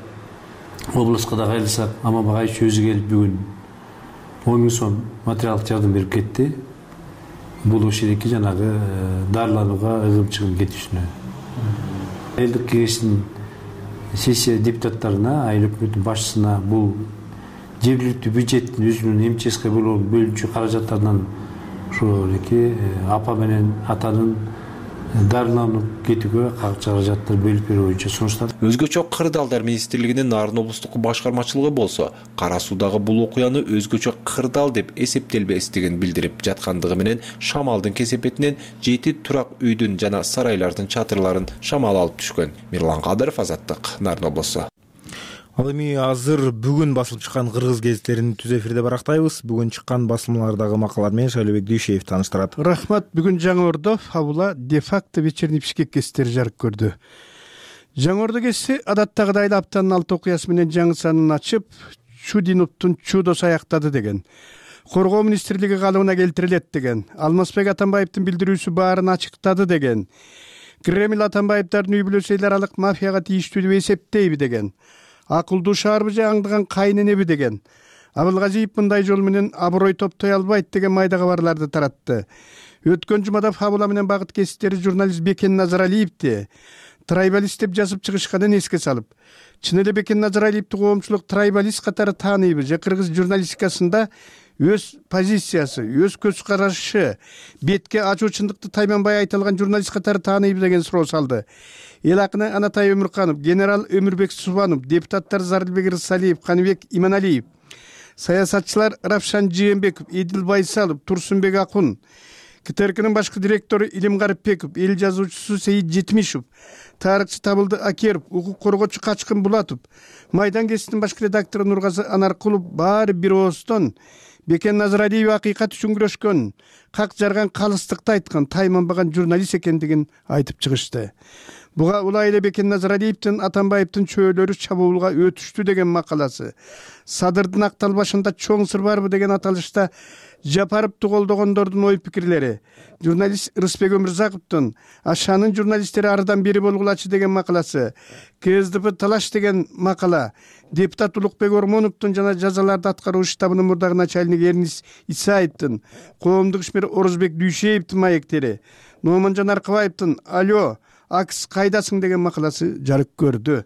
облуска да кайрылсак, Ама Багаевич өзү келип бүгүн 10 000 сом материалдык жардам берип кетти. Бул ошедеки жанагы дарыланууга ыгым-чыгым кетишине. Элдик кеңештин сессия депутаттарына, айыл өкмөтүнүн башчысына бул жергиликтүү бюджеттин өзүнүн МЧСК бөлүнчү каражаттарынан ошо апа менен атанын дарыланып кетүүгө каражаттар бөлүп берүү боюнча сунуштады. Өзгөчө кырдаалдар министрлигинин Нарын облустук башкармачылыгы болсо, Кара Суудагы бул окуяны өзгөчө кырдаал деп эсептелбестигин билдирип жаткандыгы менен шамалдын кесепетинен 7 турак үйдүн жана сарайлардын чатырларын шамал алып түшкөн. Мирлан Кадыров, Азаттык, Нарын облусу. Ал эми азыр бүгүн басылып чыккан кыргыз гезиттерин түз эфирде барактайбыз. Бүгүн чыккан басылмалардагы макалалар менен Шайлообек Дүйшеев таныштырат. Рахмат. Бүгүн Жаңы Ордо фабула де-факто вечерний Бишкек гезиттери жарык көрдү. Жаңы Ордо гезити адаттагыдай эле аптанын 6 окуясы менен жаңы санын ачып, Чудиновдун чудосу аяктады деген. Коргоо министрлиги калыбына келтирилет деген. Алмазбек Атамбаевдин билдирүүсү баарын ачыктады деген. Кремль Атамбаевдардын үй бүлөсү эл аралык мафияга тийиштүү деп эсептейби деген. Акылдуу шаарбы же аңдыган кайненеби деген. Абылгазиев мындай жол менен аброй топтой албайт деген майда кабарларды таратты. Өткөн жумада фабула менен багыт гезиттери журналист Бекен Назаралиевди трайбалист деп жазып чыгышканын эске салып, чын эле Бекен Назаралиевди коомчулук трайбалист катары тааныйбы же кыргыз журналистикасында өз позициясы, өз көз карашы, бетке ачуу чындыкты тайманбай айта алган журналист катары тааныйбы деген суроо салды. Эл акыны Анатай Өмүрканов, генерал Өмүрбек Субанов, депутаттар Зарылбек Рысалиев, Каныбек Иманалиев, саясатчылар Равшан Жээнбеков, Эдил Байсалов, Турсунбек Акун, КТРКнын башкы директору Илим Гарипбеков, эл жазуучусу Сейит Жетимишев, тарыхчы Табылды Акеров, укук коргоочу Качкын Булатов, Майдан гезитинин башкы редактору Нургазы Анаркулов баары бир ооздон Бекен Назаралиев акыйкат үчүн күрөшкөн, как жарган калыстыкты айткан, тайманбаган журналист экендигин айтып чыгышты. Буга улай эле Бекен Назаралиевдин Атамбаевдин чөөлөрү чабуулга өтүштү деген макаласы, Садырдын Актал башында чоң сыр барбы деген аталышта Жапаровду колдогондордун ой пикирлери, журналист Рысбек Өмүрзаковдун Ашанын журналисттери арыдан бери болгулачы деген макаласы, КСДП талаш деген макала, депутат Улукбек Ормоновдун жана жазаларды аткаруу штабынын мурдагы начальниги Эрнис Исаевдин, коомдук ишмер Орозбек Дүйшеевдин маектери, Номанжан Аркыбаевдин Алё Акс кайдасың деген макаласы жарык көрдү.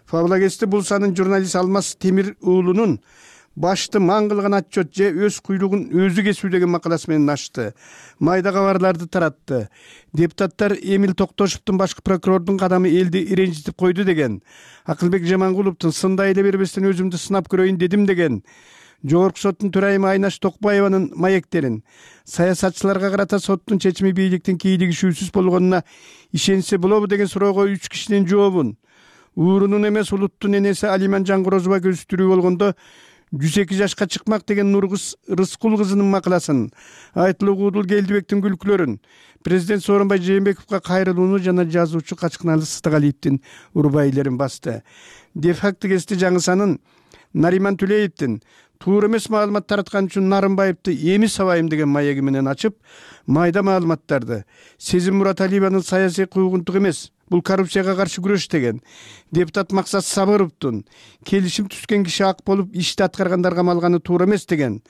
Фабула гезити бул санын журналист Алмаз Темир уулунун башты маң кылган отчет же өз куйлугун өзү кесүү деген макаласы менен ачты. Майда кабарларды таратты. Депутаттар Эмил Токтошевдун башкы прокурордун кадамы элди иренжитип койду деген. Акылбек Жамангуловдун сындай эле бербестен өзүмдү сынап көрөйүн дедим деген. Жогорку соттун төрайымы Айнаш Токбаеванын маектерин, саясатчыларга карата соттун чечими бийликтин кийлигишүүсүз болгонуна ишенсе болобу деген суроого 3 кишинин жообун, уурунун эмес улуттун энеси Алиман Жангорозова көзүтүрүү болгондо 102 жашка чыкмак деген Нургыз Рыскул кызынын макаласын, Айтылуу Куудул Келдибектин күлкүлөрүн, президент Сооронбай Жээнбековго кайрылууну жана жазуучу Качкыналы Сытыгалиевдин урбайлерин басты. Де-факто гезити жаңы санын Нариман Түлеевдин туура эмес маалымат тараткан үчүн Нарымбаевди эми сабайым деген маеги менен ачып, майда маалыматтарды Сезим Мураталиеванын саясий куугунтук эмес, бул коррупцияга каршы күрөш деген, депутат Максат Сабыровдун келишим түзгөн киши ак болуп ишти аткаргандарга малганы туура эмес деген,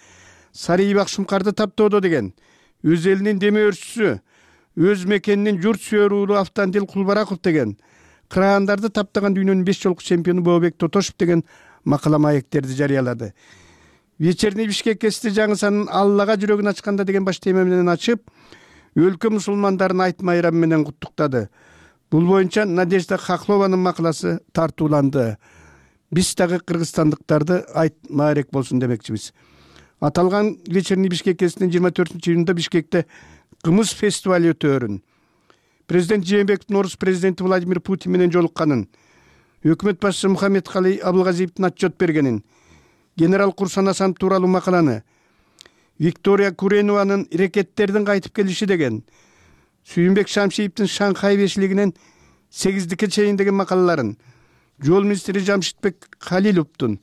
Сарыйып Акшумкарды таптоодо деген, өз элинин деме өрчүсү, өз мекенинин журт сүйөр уулу Автандил Кулбараков деген, кыраандарды таптаган дүйнөнүн 5 жолку чемпиону Бообек Тотошев деген макала маектерди жарыялады. Вечерний Бишкек гезити жаңы санын Аллага жүрөгүн ачканда деген баш тема менен ачып, өлкө мусулмандарын айт майрамы менен куттуктады. Бул боюнча Надежда Хохлованын макаласы тартууланды. Биз дагы кыргызстандыктарды айт маарек болсун демекчибиз. Аталган Вечерний Бишкек гезитинин 24-июнда Бишкекте кымыз фестивали өтөөрүн, президент Жээнбековдун орус президенти Владимир Путин менен жолукканын, өкмөт башчысы Мухаммедкалый Абылгазиевдин отчет бергенин, генерал Курсан Асанов тууралуу макаланы, Виктория Куренованын рекеттердин кайтып келиши деген, Сүйүнбек Шамшиевдин Шанхай бешилигинен 8-дикке чейин деген макалаларын, жол министри Жамшитбек Халиловдун,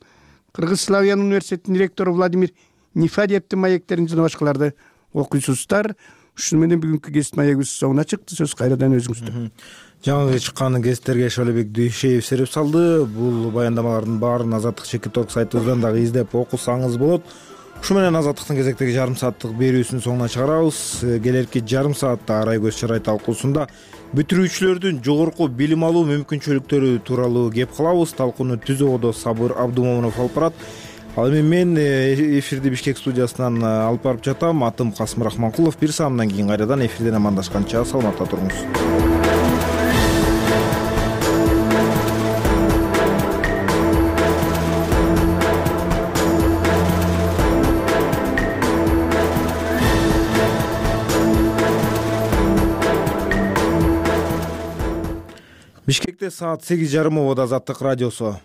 Кыргыз Славян университетинин ректору Владимир Нифадиевдин маектерин жана башкаларды окуйсуздар. Ушуну менен бүгүнкү гезит маегибиз соңуна чыкты. Сөз кайрадан өзүңүздө. Жаңы чыккан гезиттерге Шалебек Дүйшеев сереп салды. Бул баяндамалардын баарын Азаттык Чекит.орг сайтыбыздан дагы издеп окусаңыз болот. Ушу менен Азаттыктын кезектеги жарым сааттык берүүсүн соңуна чыгарабыз. Келерки жарым саатта Арай көз чарай талкуусунда бүтүрүүчүлөрдүн жогорку билим алуу мүмкүнчүлүктөрү тууралуу кеп кылабыз. Талкууну түзүүдө Сабыр Абдумомунов алып барат. Ал эми мен эфирди Бишкек студиясынан алып барып жатам. Атым Касым Рахманкулов. Бир саамдан кийин кайрадан эфирден амандашканча саламатта туруңуз. Бишкекте саат 8:30 болот. Азаттык радиосу.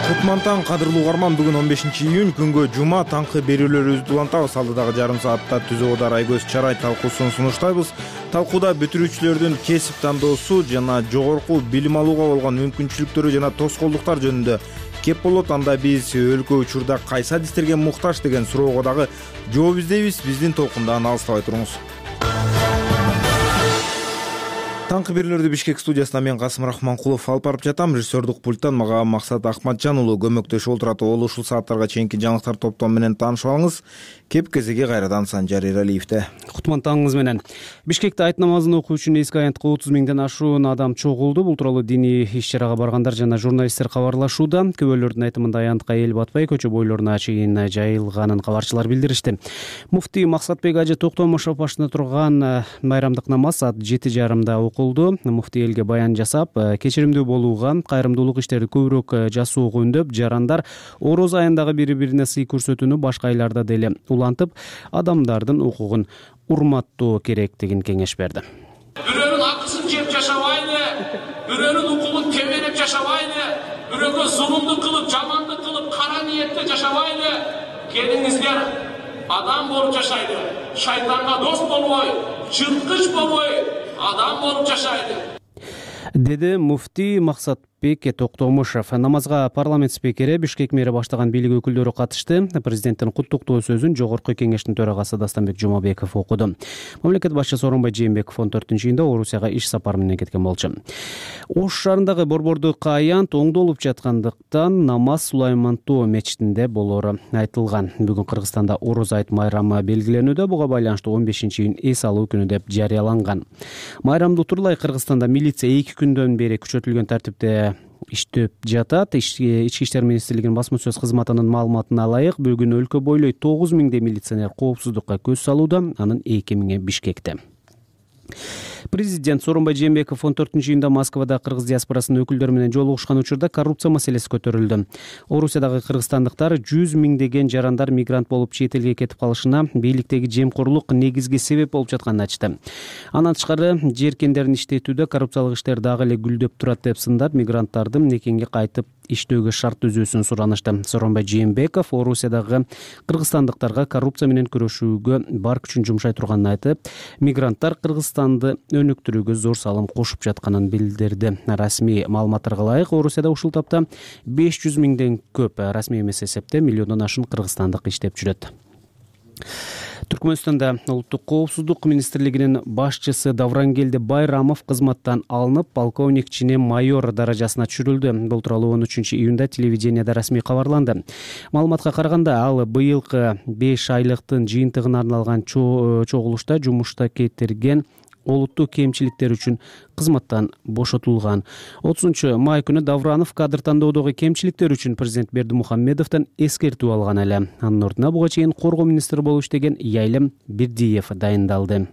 Кутмантан кадырлуу угарман, бүгүн 15-июнь күнгө жума таңкы берүүлөрүбүздү улантабыз. Алдыдагы жарым саатта түзүүдө Арай көз чарай талкуусун сунуштайбыз. Талкууда бүтүрүүчүлөрдүн кесип тандоосу жана жогорку билим алууга болгон мүмкүнчүлүктөрү жана тоскоолдуктар жөнүндө кеп болот. Анда биз өлкө учурда кайсы адистерге муктаж деген суроого дагы жооп издейбиз. Биздин толкундан алыстабай туруңуз. Таңкы берүүлөрдү Бишкек студиясынан мен Касым Рахманкулов алып барып жатам. Режиссердук пульттан мага Максат Ахматжан уулу көмөктөшүп отурат. Ушул сааттарга чейинки жаңылыктар топтому менен таанышып алыңыз. Кеп кезеги кайрадан Санжар Эралиевде. Кутмантаңыңыз менен. Бишкекте айт намазын окуу үчүн эски аянтка 30 миңден ашуун адам чогулду. Бул тууралуу диний иш-чарага баргандар жана журналисттер кабарлашууда. Күбөлөрдүн айтымында аянтка эл батпай көчө бойлоруна чейин жайылганын кабарчылар билдиришти. Муфтий Максатбек Ажы Токтомушов башында турган майрамдык намаз саат 7:30 окулду. Муфтий элге баян жасап, кечиримдүү болууга, кайрымдуулук иштерди көбүрөөк жасоого үндөп, жарандар ороз айындагы бири-бирине сый көрсөтүүнү башка айларда деле улантып, адамдардын укугун урматтоо керектигин кеңеш берди. Бирөөнүн акысын жеп жашабайлы, бирөөнүн укугун тебелеп жашабайлы, бирөөгө зулумдук кылып, жамандык кылып, кара ниетте жашабайлы. Келиңиздер адам болуп жашайды. Шайтанга дос болбой, жырткыч болбой, адам болуп жашайды, деди муфтий Максатбек Токтомушев. Намазга парламент спикери, Бишкек мэри баштаган бийлик өкүлдөрү катышты. Президенттин куттуктоо сөзүн жогорку кеңештин төрагасы Дастанбек Жумабеков окуду. Мамлекет башчысы Сооронбай Жээнбеков 14-июнда Орусияга иш сапары менен кеткен болчу. Ош шаарындагы Борбордук аянт оңдолуп жаткандыктан намаз Сулаймантоо мечитинде болору айтылган. Бүгүн Кыргызстанда Ороз айт майрамы белгиленүүдө. Буга байланыштуу 15-июнь эс алуу күнү деп жарыяланган. Майрамды утурлай Кыргызстанда милиция 2 күндөн бери күчөтүлгөн тартипте иштеп жатат. Ички иштер министрлигинин басма сөз кызматынын маалыматына ылайык, бүгүн өлкө бойлой 9 миңдей милиционер коопсуздукка көз салууда, анын 2 миңи Бишкекте. Президент Сооронбай Жээнбеков 14-июнда Москвада кыргыз диаспорасынын өкүлдөрү менен жолугушкан учурда коррупция маселеси көтөрүлдү. Орусиядагы кыргызстандыктар 100 миңдеген жарандар мигрант болуп чет элге кетип калышына бийликтеги жемкорлук негизги себеп болуп жатканын айтты. Андан тышкары жеркендерин иштетүүдө коррупциялык иштер дагы эле гүлдөп турат деп сындап, мигранттардын мекенге кайтып иштөөгө шарт түзүүсүн суранышты. Сооронбай Жээнбеков Орусиядагы кыргызстандыктарга коррупция менен күрөшүүгө бар күчүн жумшай турганын айтып, мигранттар Кыргызстанды өнүктүрүүгө зор салым кошуп жатканын билдирди. Расмий маалыматтарга ылайык, Орусияда ушул тапта 500 миңден көп, расмий эмес эсепте миллиондон ашуун кыргызстандык иштеп жүрөт. Түркмөнстанда улуттук коопсуздук министрлигинин башчысы Даврангелди Байрамов кызматтан алынып, полковник чине майор даражасына түшүрүлдү. Бул тууралуу 13-июнда телевидениеде расмий кабарланды. Маалыматка караганда, ал быйылкы 5 айлыктын жыйынтыгына арналган чогулушта жумушта кетирген олуттуу кемчиликтер үчүн кызматтан бошотулган. 30 май күнү Давранов кадр тандоодогу кемчиликтер үчүн президент Бердимухамедовдон эскертүү алган эле. Анын ордуна буга чейин коргоо министри болуп иштеген Яйлем Бердиев дайындалды.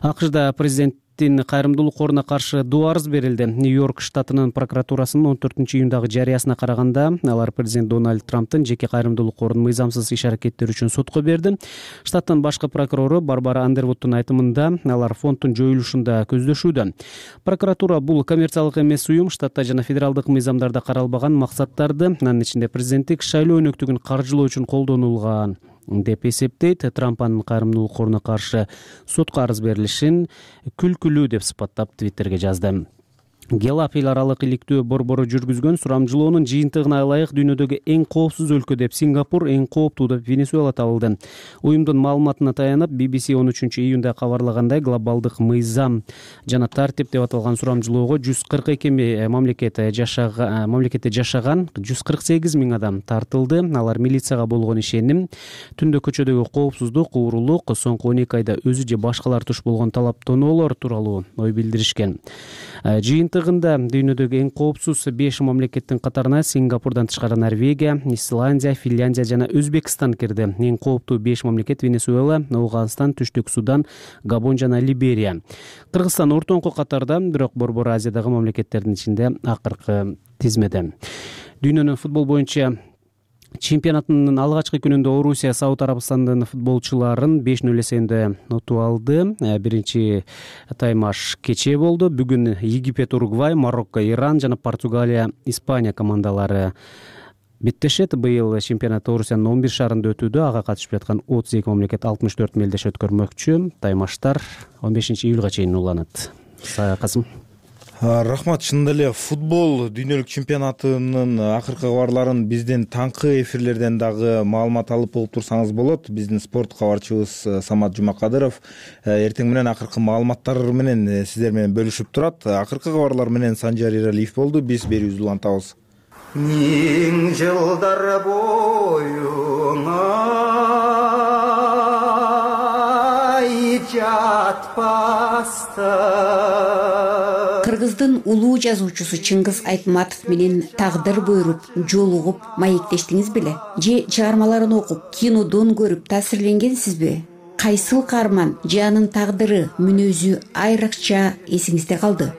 АКШда президент мамлекеттин кайрымдуулук коруна каршы доо арыз берилди. Нью-Йорк штатынын прокуратурасынын 14-июндагы жарыясына караганда алар президент Дональд Трамптын жеке кайрымдуулук корун мыйзамсыз иш-аракеттери үчүн сотко берди. Штаттын башкы прокурору Барбара Андервудтун айтымында алар фонддун жоюлушунда көздөшүүдө. Прокуратура бул коммерциялык эмес уюм штатта жана федералдык мыйзамдарда каралбаган максаттарды, анын ичинде президенттик шайлоо өнөктүгүн каржылоо үчүн колдонулган деп эсептейт. Трамп анын кайрымдуулук коруна каршы сотко арыз берилишин күлкүлүү деп сыпаттап Твиттерге жазды. Гелап эл аралык иликтөө борбору жүргүзгөн сурамжылоонун жыйынтыгына ылайык дүйнөдөгү эң коопсуз өлкө деп Сингапур, эң кооптуу деп Венесуэла табылды. Уюмдун маалыматына таянып BBC 13-июнда кабарлагандай, глобалдык мыйзам жана тартип деп аталган сурамжылоого 142 мамлекетте жашаган 148 миң адам тартылды. Алар милицияга болгон ишеним, түндө көчөдөгү коопсуздук, уурулук, соңку 12 айда өзү же башкалар туш болгон талаптоноолор тууралуу ой билдиришкен. Жыйынтыгында дүйнөдөгү эң коопсуз 5 мамлекеттин катарына Сингапурдан тышкары Норвегия, Исландия, Финляндия жана Өзбекстан кирди. Эң кооптуу 5 мамлекет Венесуэла, Афганистан, Түштүк Судан, Габон жана Либерия. Кыргызстан ортоңку катарда, бирок Борбор Азиядагы мамлекеттердин ичинде акыркы тизмеде. Дүйнөнүн футбол боюнча чемпионаттын алгачкы күнүндө Орусия Сауд Арабстандын футболчуларын 5-0 эсебинде утуп алды. Биринчи таймаш кечээ болду. Бүгүн Египет, Уругвай, Марокко, Иран жана Португалия, Испания командалары беттешет. Быйыл чемпионат Орусиянын 11 шаарында өтүүдө. Ага катышып жаткан 32 мамлекет 64 мелдеш өткөрмөкчү. Таймаштар 15 июлга чейин уланат. Касым. Рахмат. Чындап эле футбол дүйнөлүк чемпионатынын акыркы кабарларын биздин таңкы эфирлерден дагы маалымат алып болуп турсаңыз болот. Биздин спорт кабарчыбыз Самат Жумакадыров эртең менен акыркы маалыматтар менен сиздер менен бөлүшүп турат. Акыркы кабарлар менен Санжар Иралиев болду. Биз берүүбүздү улантабыз. Миң жылдар боюңа жатпаста. Кыргыздын улуу жазуучусу Чыңгыз Айтматов менен тагдыр буйруп, жолугуп, маектештиңиз беле? Же чыгармаларын окуп, кинодон көрүп таасирленгенсизби? Кайсыл каарман же анын тагдыры, мүнөзү айрыкча эсиңизде калды?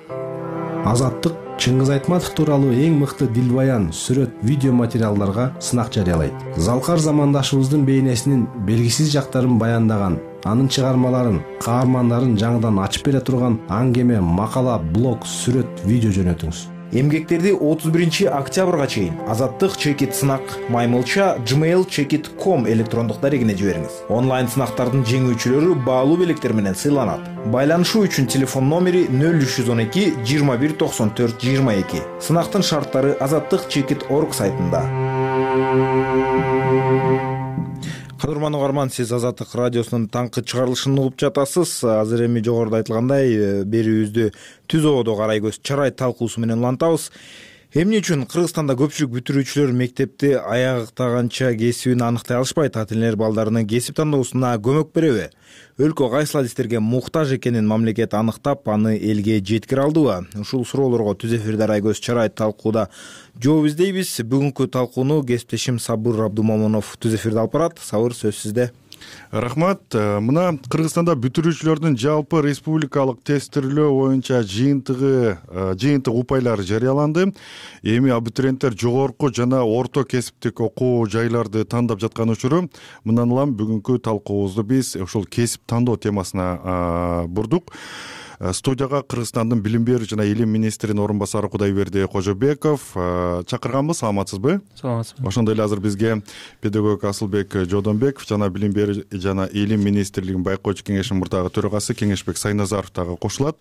Азаттык Чыңгыз Айтматов тууралуу эң мыкты дилбаян, сүрөт, видео материалдарга сынак жарыялайт. Залкар замандашыбыздын бейнесинин белгисиз жактарын баяндаган, анын чыгармаларын, каармандарын жаңыдан ачып бере турган аңгеме, макала, блог, сүрөт, видео жөнөтүңүз. Эмгектерди 31 октябрга чейин Азаттык чекит сынак маймылча gmail.com электрондук дарегине жибериңиз. Онлайн сынактардын жеңүүчүлөрү баалуу белектер менен сыйланат. Байланышуу үчүн телефон номери 0312 21 94 22. Сынактын шарттары azattikchekit.org сайтында. Кадырман угарман, сиз Азаттык радиосунун таңкы чыгарылышын угуп жатасыз. Азыр эми жогоруда айтылгандай берүүбүздү түз ободо карай көз чарай талкуусу менен улантабыз. Эмне үчүн Кыргызстанда көпчүлүк бүтүрүүчүлөр мектепти аяктаганча кесибин аныктай алышпайт? Ата-энелер балдарынын кесип тандоосуна көмөк береби? Өлкө кайсыл адистерге муктаж экенин мамлекет аныктап, аны элге жеткире алдыбы? Ушул суроолорго түз эфирде арай көз чарай талкууда жооп издейбиз. Бүгүнкү талкууну кесиптешим Сабыр Абдумомунов түз эфирде алып барат. Сабыр, сөз сизде. Рахмат. Мына Кыргызстанда бүтүрүүчүлөрдүн жалпы республикалык тестирлөө боюнча жыйынтык упайлары жарыяланды. Эми абитуриенттер жогорку жана орто кесиптик окуу жайларды тандап жаткан учуру. Мындан улам бүгүнкү талкуубузду биз ушул кесип тандоо темасына бурдук. Студияга Кыргызстандын билим берүү жана илим министринин орун басары Кудайберди Кожобеков чакырганбыз. Саламатсызбы? Саламатсызбы. Ошондой эле азыр бизге педагог Асылбек Жодонбеков жана билим берүү жана илим министрлигинин байкоочу кеңешинин мурдагы төрагасы Кеңешбек Сайназаров дагы кошулат.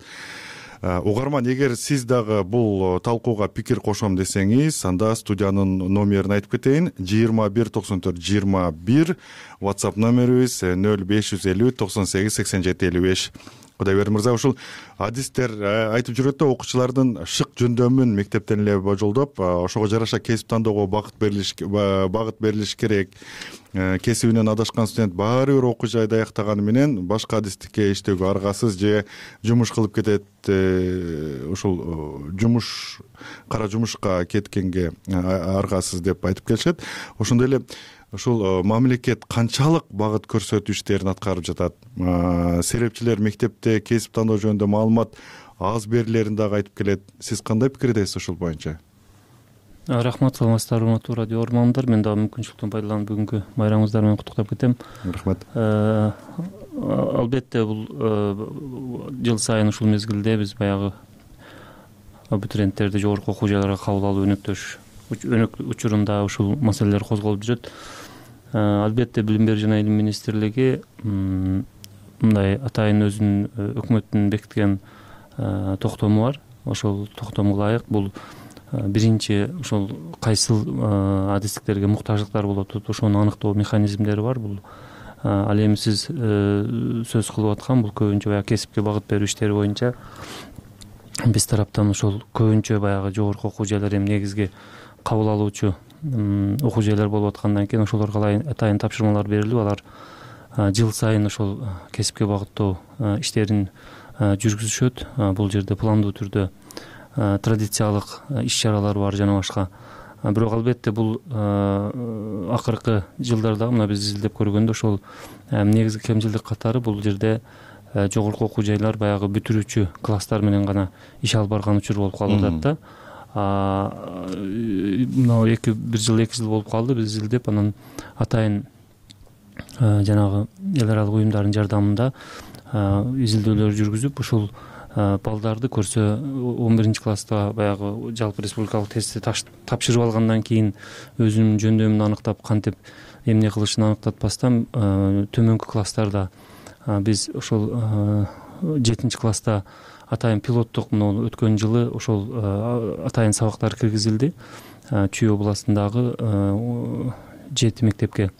Угарман, эгер сиз дагы бул талкууга пикир кошом десеңиз, анда студиянын номерин айтып кетейин. 21 94 21, WhatsApp номерибиз 0550 98 87 55. Кудайберди мырза, ушул адистер айтып жүрөт да, окуучулардын шык жөндөмүн мектептен эле божолдоп, ошого жараша кесип тандоого багыт берилиш керек. Кесибинен адашкан студент баары бир окуу жайда аяктаганы менен башка адистикке иштөөгө аргасыз же жумуш кылып кетет. Ушул кара жумушка кеткенге аргасыз деп айтып келишет. Ошондой эле ушул мамлекет канчалык багыт көрсөтүү иштерин аткарып жатат? Серепчилер мектепте кесип тандоо жөнүндө маалымат аз берилерин дагы айтып келет. Сиз кандай пикирдесиз ушул боюнча? Рахмат, саламатсыздарбы урматтуу радио угармандар. Мен дагы мүмкүнчүлүктөн пайдаланып бүгүнкү байрамыңыздар менен куттуктап кетем. Рахмат. Албетте бул жыл сайын ушул мезгилде биз баягы абитуриенттерди жогорку окуу жайларга кабыл алуу өнөктөш учурунда ушул маселелер козголуп жүрөт. Албетте Билим берүү жана Илим министрлиги мындай атайын өзүнүн өкмөттүн бекиткен токтому бар. Ошол токтомго ылайык бул биринчи ошол кайсыл адистиктерге муктаждыктар болот, ошону аныктоо механизмдери бар. Бул ал эми сиз сөз кылып аткан бул көбүнчө баягы кесипке багыт берүү иштери боюнча биз тараптан ошол көбүнчө баягы жогорку окуу жайлар эми негизги кабыл алуучу окуу жайлар болуп аткандан кийин ошолорго атайын тапшырмалар берилип, алар жыл сайын ошол кесипке багыттоо иштерин жүргүзүшөт. Бул жерде пландуу түрдө традициялык иш-чаралар бар жана башка. Бирок албетте бул акыркы жылдарда мына биз изилдеп көргөндө ошол негизги кемчилдик катары бул жерде жогорку окуу жайлар баягы бүтүрүүчү класстар менен гана иш алып барган учур болуп калып атат да. Мына бир жыл 2 жыл болуп калды биз изилдеп, анан атайын жанагы эл аралык уюмдардын жардамында изилдөөлөр жүргүзүп ушул балдарды көрсө 11 класста баягы жалпы республикалык тестти тапшырып алгандан кийин өзүнүн жөндөмүн аныктап кантип эмне кылышын аныктатпастан төмөнкү класстарда биз ошол 7 класста атайын пилоттук мына өткөн жылы ошол атайын сабактар киргизилди Чүй областындагы 7 мектепке.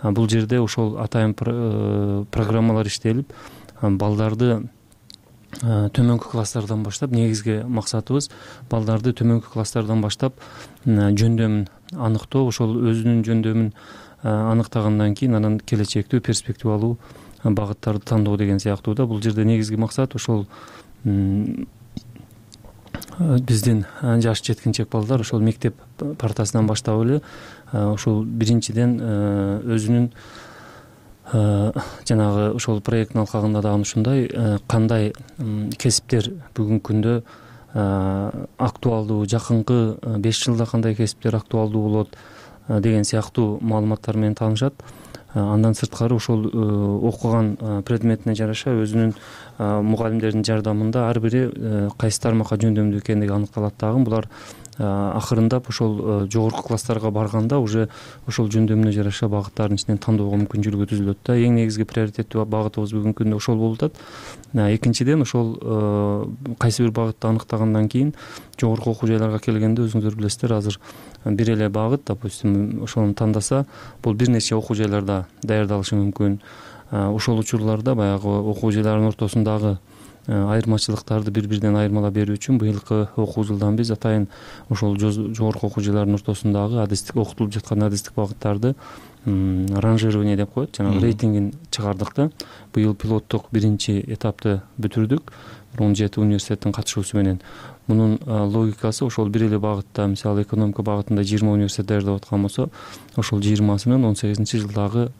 Бул жерде ошол атайын программалар иштелип, балдарды төмөнкү класстардан баштап, негизги максатыбыз балдарды төмөнкү класстардан баштап жөндөмүн аныктоо, ошол өзүнүн жөндөмүн аныктагандан кийин анан келечектүү перспективалуу багыттарды тандоо деген сыяктуу да. Бул жерде негизги максат ошол биздин жаш жеткинчек балдар ошол мектеп партасынан баштап эле ошол биринчиден өзүнүн жанагы ошол проекттин алкагында дагы ушундай кандай кесиптер бүгүнкү күндө актуалдуу, жакынкы 5 жылда кандай кесиптер актуалдуу болот деген сыяктуу маалыматтар менен таанышат. Андан сырткары ошол окуган предметине жараша өзүнүн мугалимдердин жардамында ар бири кайсы тармакка жөндөмдүү экендиги аныкталат дагы. Булар акырындап ошол жогорку класстарга барганда уже ошол жөндөмүнө жараша багыттардын ичинен тандоого мүмкүнчүлүгү түзүлөт да. Эң негизги приоритеттүү багытыбыз бүгүнкү күндө ошол болуп атат. Экинчиден ошол кайсы бир багытты аныктагандан кийин жогорку окуу жайларга келгенде өзүңүздөр билесиздер, азыр бир эле багыт, допустим, ошону тандаса, бул бир нече окуу жайларда даярдалышы мүмкүн. Ошол учурларда баягы окуу жайларынын ортосундагы айырмачылыктарды бири-биринен айырмалап берүү үчүн быйылкы окуу жылдан биз атайын ошол жогорку окуу жайларынын ортосундагы адистик окутулуп жаткан адистик багыттарды ранжирование деп коет, жанагы рейтингин чыгардык да. Быйыл пилоттук биринчи этапты бүтүрдүк 17 университеттин катышуусу менен. Мунун логикасы ошол бир эле багытта, мисалы экономика багытында 20 университет даярдап аткан болсо, ошол 20-сынын 18-жылдагы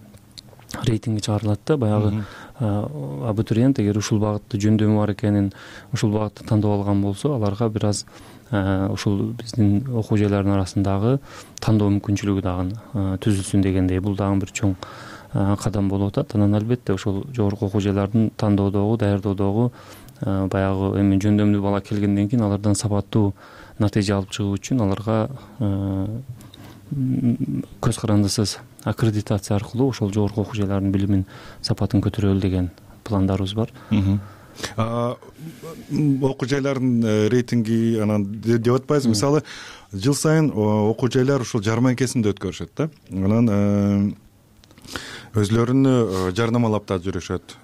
рейтинги чыгарылат да. Баягы абитуриент эгер ушул багытты жөндөмү бар экенин, ушул багытты тандап алган болсо, аларга бир аз ушул биздин окуу жайларынын арасындагы тандоо мүмкүнчүлүгү дагы түзүлсүн дегендей. Бул дагы бир чоң кадам болуп атат. Анан албетте ошол жогорку окуу жайлардын тандоодогу, даярдоодогу баягы эми жөндөмдүү бала келгенден кийин алардан сапаттуу натыйжа алып чыгуу үчүн аларга көз карандысыз аккредитация аркылуу ошол жогорку окуу жайлардын билимин сапатын көтөрөлү деген пландарыбыз бар. Окуу жайлардын рейтинги анан деп атпайбызбы? Мисалы, жыл сайын окуу жайлар ушул жарманкесинде өткөрүшөт да. Анан өзлөрүнү жарнамалап да жүрүшөт.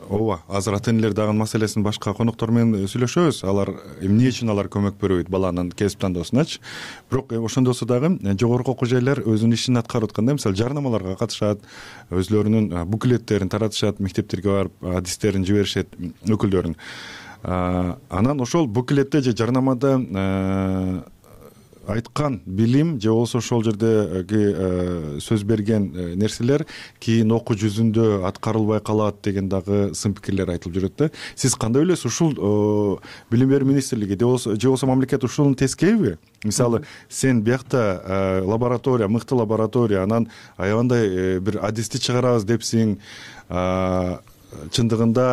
Ооба, азыр ата-энелер дагы маселесин башка коноктор менен сүйлөшөбүз. Алар эмне үчүн алар көмөк бербейт баланын кесип тандоосуначы. Бирок ошондосу дагы жогорку окуу жайлар өзүнүн ишин аткарып атканда, мисалы, жарнамаларга катышат, өзлөрүнүн буклеттерин таратышат, мектептерге барып адистерин жиберишет өкүлдөрүн. Анан ошол буклетте же жарнамада айткан билим же болбосо ошол жердеги сөз берген нерселер кийин окуу жүзүндө аткарылбай калат деген дагы сын пикирлер айтылып жүрөт да. Сиз кандай ойлойсуз? Ушул билим берүү министрлиги же болбосо мамлекет ушунун тескейби? Мисалы, сен биякта лаборатория, мыкты лаборатория, анан аябандай бир адисти чыгарабыз депсиң, чындыгында